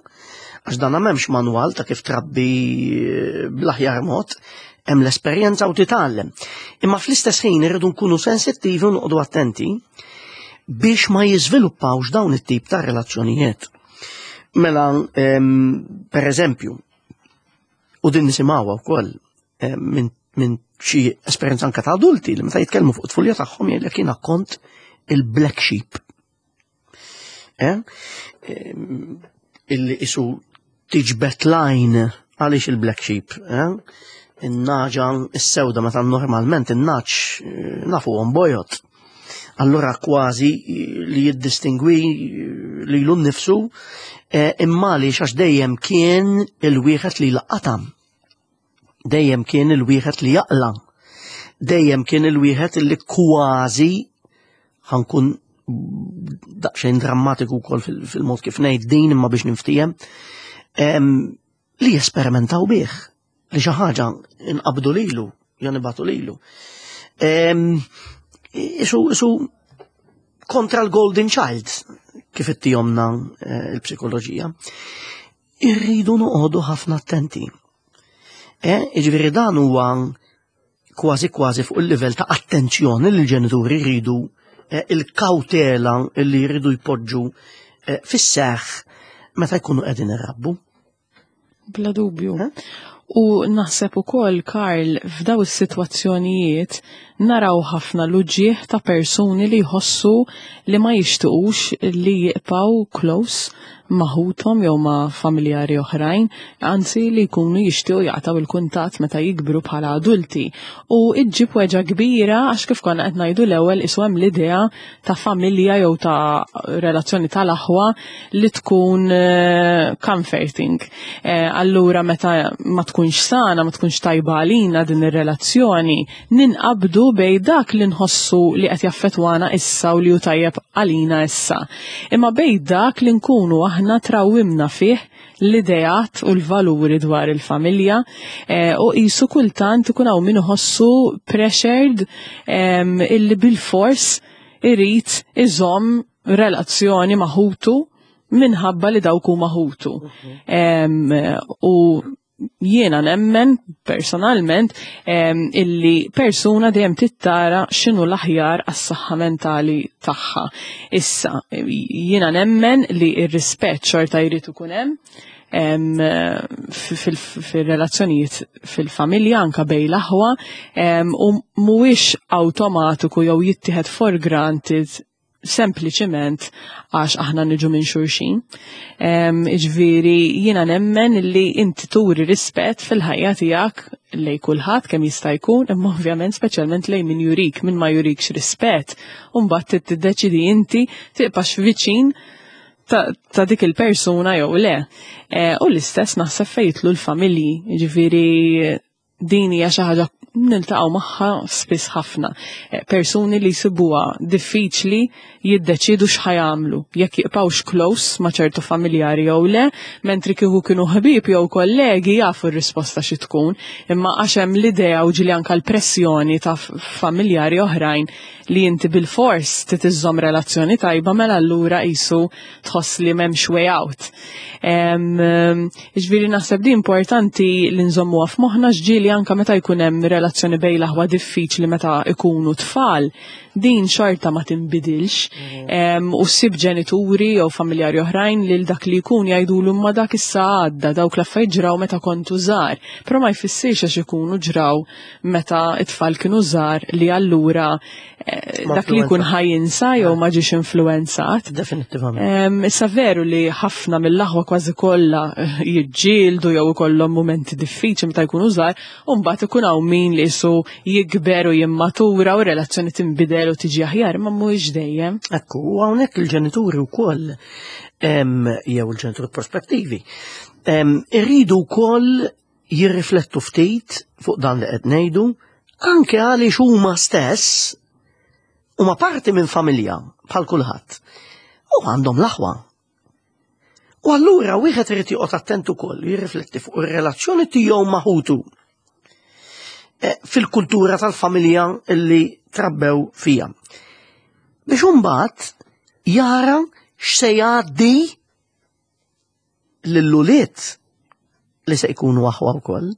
għax dan m'hemmx manwal ta' kif trabbi eh, bl-aħjar mod, hemm l-esperjenza u titgħallem. Imma fl-istess ħin irridu nkunu sensittivi u noqogħdu attenti biex ma jiżviluppawx dawn it-tip ta' relazzjonijiet. Mela, em, per eżempju, u din nisimgħuha wkoll em, minn min xi esperjenza anka ta' adulti li meta jitkellmu fuq it-tfulja tagħhom jgħidlek jiena kont il-black sheep. Eh? Em, Illi isu tiġbed line Għaliex il-black sheep? Eh? In-nagħġa s-sewda, meta normalment in-nagħaġ eh, nafuhom bojod. Allura kważi li jiddistingwi lilu nnifsu, eh, imma li għax dejjem kien il-wieħed li laqatam. Dejjem kien il-wieħed li jaqla. Dejjem kien il-wieħed li kważi, ħa nkun daqsxejn drammatiku wkoll fil-mod kif ngħid din imma biex niftiehem, li jesperimentaw bih, li xi ħaġa inqabdu lilu, jew nibagħtu lilu. Isu, isu kontra l-golden child, kif ittihomlna eh, il-psikoloġija. Irridu noqogħdu ħafna attenti. Eh, Ġifieri dan huwa kważi kważi fuq il-livell ta' attenzjoni li l-ġenituri jridu, eh, il-kawtela li jridu jpoġġu eh, fis-seħ meta jkunu qegħdin irabbu. Bla dubju. U naħseb ukoll, Karl, f'daw is-sitwazzjonijiet naraw ħafna l-uġieħ ta' persuni li jħossu li ma jixtuqux li jibqgħu close ma' ħuthom jew ma' familjari oħrajn, anzi li jkunu jixtiequ jaqtaw il-kuntatt meta jikbru bħala adulti. U iġġib weġgħa kbira għax kif konna qed ngħidu l-ewwel, isu hemm l-idea ta' familja jew ta' relazzjoni tal-aħwa li tkun eh, comforting. Eh, allura meta ma tkunx sana, ma tkunx tajba għalina din ir-relazzjoni, ninqabdu bejn dak li nħossu li qed jaffetwana issa u li hu tajjeb għalina issa. Imma bejn dak li nkunu aħna trawwimna fih l-ideat u l-valuri dwar il-familja, eh, u qisu kultant ikun hawn min iħossu pressured em, illi bil-fors irid iżomm relazzjoni ma' ħutu minħabba li dawk huma ħutu. Em, U jiena nemmen personalment em, illi persuna dejjem tittara x'inhu l-aħjar għas-saħħa mentali tagħha. Issa, jiena nemmen li r-rispett xorta jrid ikun hemm em, fil- fil-relazzjonijiet fil-familja anka bejn l-aħwa em, u mhuwiex awtomatiku jew jittieħed for granted sempliċiment għax aħna niġu minn xulxin. Em, Ġifieri jiena nemmen li inti turi rispett fil-ħajja tiegħek lejn kulħadd kemm jista' jkun, imma ovvjament speċjalment lejn min jurik, min ma jurikx rispett, u mbagħad tiddeċidi inti tibqax viċin ta', ta' dik il-persuna jew le. E, u l-istess naħseb fejn jidħlu l-familji, ġifieri din hija xi ħaġa niltaqgħu magħha spiss ħafna. Eh, Persuni li jsibuha diffiċli jiddeċidu x'ħa jagħmlu, jekk jibqgħux close ma' ċertu familjari jew le, mentri kieku kienu ħbieb jew kollegi jafu r-risposta xi tkun, imma għax hemm l-idea u ġieli anke l-pressjoni ta' familjari oħrajn li inti bil-fors trid iżżomm relazzjoni tajba, mela allura qisu tħoss li m'hemmx way out. Ġifieri naħseb di importanti li nżommuha f'moħħna ġieli anke meta jkun hemm relazzjoni bejn l-aħwa diffiċli meta ikunu tfal, din xorta ma tinbidilx. Em, U ssib ġenituri jew familjari oħrajn lil dak li jkun jgħidulu ma dak issa għadda, dawk l-affarijiet ġraw meta kontu żgħar. Però ma jfissirx għax ikunu ġraw meta it-tfal kienu żgħar li allura eh, Ma dak li jkun influenza. ħa jinsa jew ma ġiex influenzat. Definitivament. Em, Issa veru li ħafna mill-aħwa kważi kollha eh, jiġġieldu jew ikollhom momenti diffiċli meta jkunu żgħar, u mbagħad ikun hawn min li qisu jikber u jimmatura u relazzjoni tinbidel u tiġi aħjar, ma mhuwiex dejjem. Ekku, u hawnhekk il-ġenituri wkoll em, jew il-ġenituri prospettivi em, irridu wkoll jirriflettu ftit fuq dan li qed ngħidu, anke għaliex huma stess huma parti minn familja bħal kulħadd u għandhom l-aħwa. U allura wieħed irid joqgħod attent ukoll jirrifletti fuq ir-relazzjoni tiegħu ma' ħutu eh, fil-kultura tal-familja illi trabbew fija. Biex imbagħad jara x'se jgħaddi lill-ulied li se jkunu aħwa wkoll.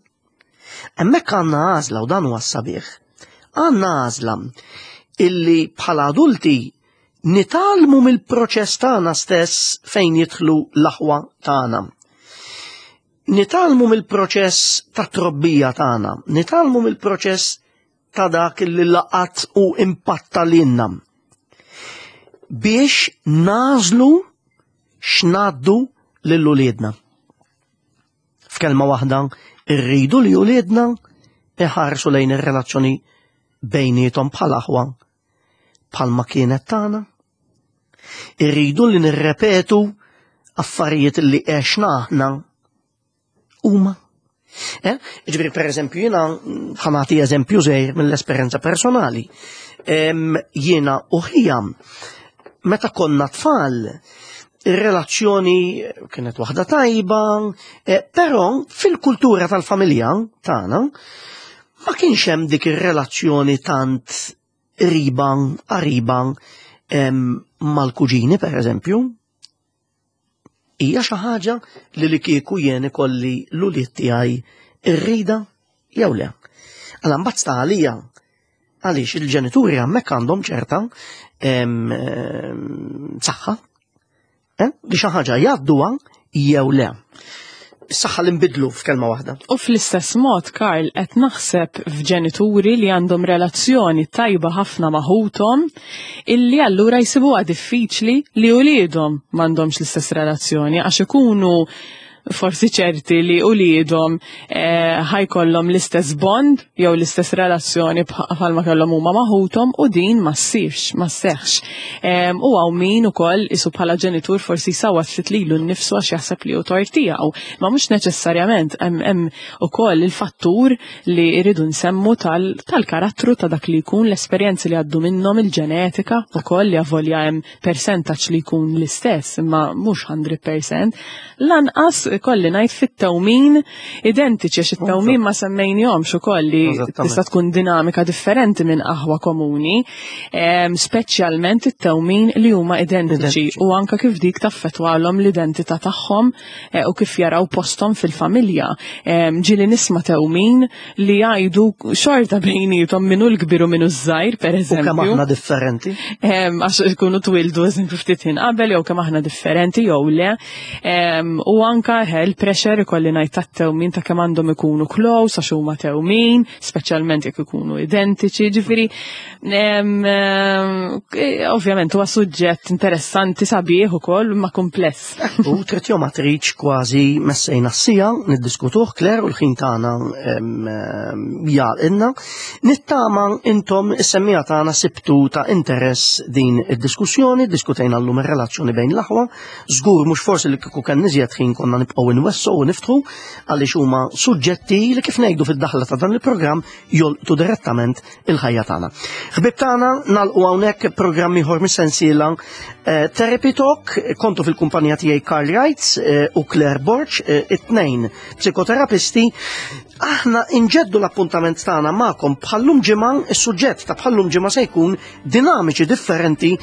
Hemmhekk għandna għażla u dan huwa s-sabiħ. Għandna għażla illi bħala adulti nitgħallmu mill-proċess tagħna stess fejn jidħlu l-aħwa tagħna. Nitgħallmu mill-proċess ta' trobbija tagħna, nitgħallmu mill-proċess ta' dak li laqat u impatta lilna. Biex nagħżlu x'ngħaddu lil uliedna. F'kelma waħda, irridu li uliedna iħarsu lejn ir-relazzjoni bejnietom bħal aħwa bħalma kienet tagħna. Irridu li nirrepetu affarijiet li għexna aħna huma. Eh? Ġifieri, per eżempju, jiena ħa nagħti eżempju żgħir mill-esperjenza personali. Em, jiena u ħija, meta konna tfal, ir-relazzjoni kienet waħda tajba, eh, però fil-kultura tal-familja tagħna ma kienx hemm dik ir-relazzjoni tant qriba, qariba em, mal-kuġini, per eżempju. Hija xi ħaġa li li kieku jien ikolli l-ulied tiegħi irrida jew le. Alla mbagħad sta għalija għaliex il-ġenituri hemmhekk għandhom ċerta em, em, saħħa eh, li xi ħaġa jgħadduha jew le. Saħħa li nbidlu f'kelma waħda. U fl-istess mod, Karl, qed naħseb f'ġenituri li għandhom relazzjoni tajba ħafna ma' ħuthom, illi allura jsibuha diffiċli li uliedhom m'għandhomx l-istess relazzjoni għax ikunu forsi ċerti li uliedhom eh, ħa jkollhom l-istess bond jew l-istess relazzjoni bħalma kellhom huma ma' ħuthom u din ma ssirx, ma sseħħx. Em, U hawn min ukoll isu bħala ġenitur forsi jsawwat ftit lilu nnifsu għax jaħseb li hu tort tiegħu. Ma mhux neċessarjament hemm hemm ukoll il-fattur li jridu nsemmu tal- tal-karattru ta' dak li jkun, l-esperjenzi li għaddu minnhom, il-ġenetika ukoll, li avolja hemm percentaġġ li jkun l-istess imma mhux mija fil-mija. Lanqas kolli ngħid fit-tewmin identiċi, għax it-tewmin ma semmejnihomx ukoll, li Eżattament. tista' tkun dinamika differenti minn aħwa komuni, em, speċjalment it-tewmin li huma identiċi Identiċi. u anka kif dik taffettwalhom l-identità tagħhom eh, u kif jaraw posthom fil-familja. Em, Ġieli nisma' tewmin li jgħidu xorta bejnietom minu l-kbir u minu ż-żgħir, per U kemm eżempju. aħna differenti. Em, Għax ikunu twildu eżempju ftit ħin qabel jew kemm aħna differenti jew le. Em, U anka il-pressure ikolli ngħid tat-tewmin ta' kemm għandhom ikunu close għax huma tewmin, speċjalment jekk ikunu identiċi, ġifieri em, em, eh, ovvjament huwa suġġett interessanti, sabiħ ukoll, ma kumpless. U trid jew ma tridx kważi messejna s-siegħa niddiskutuh, Claire, u l-ħin tagħna em, em, jgħalqilna. Nittama intom is-semmiegħa tagħna sibtu ta' interess din id-diskussjoni, diskutejna llum ir-relazzjoni bejn l-aħwa. Żgur mhux forsi li kieku kien iżjed ħin konna nibqgħu nwessgħu u niftħu għaliex huma suġġetti li, kif ngħidu fid-daħla ta' dan il-programm, jolqtu direttament il-ħajja tagħna. Ħbib tagħna, nagħlqu hawnhekk programm ieħor mis-sensiela eh, Therapy Talk, kontu fil-kumpanija tiegħi Karl Reitz eh, u Claire Borg, eh, it-tnejn psikoterapisti. Aħna inġeddu l-appuntament tagħna magħkom bħallum ġimgħa, is-suġġett ta' bħallum ġimgħa se jkun dinamiċi differenti,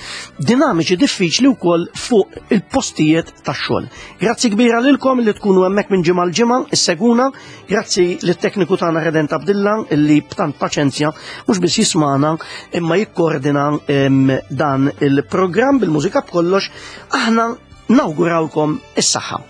dinamiċi diffiċli wkoll fuq il-postijiet tax-xogħol. Grazzi kbira lilkom li tkunu hemmhekk minn ġimgħa l-ġimgħa, isseguna, grazzi lit-tekniku tagħna Redent Abdilla illi b'tant paċenzja mhux biss jismana imma jikkoordina em, dan il-programm bil-mużika b'kollox. Aħna nawgurawkom is-saħħa.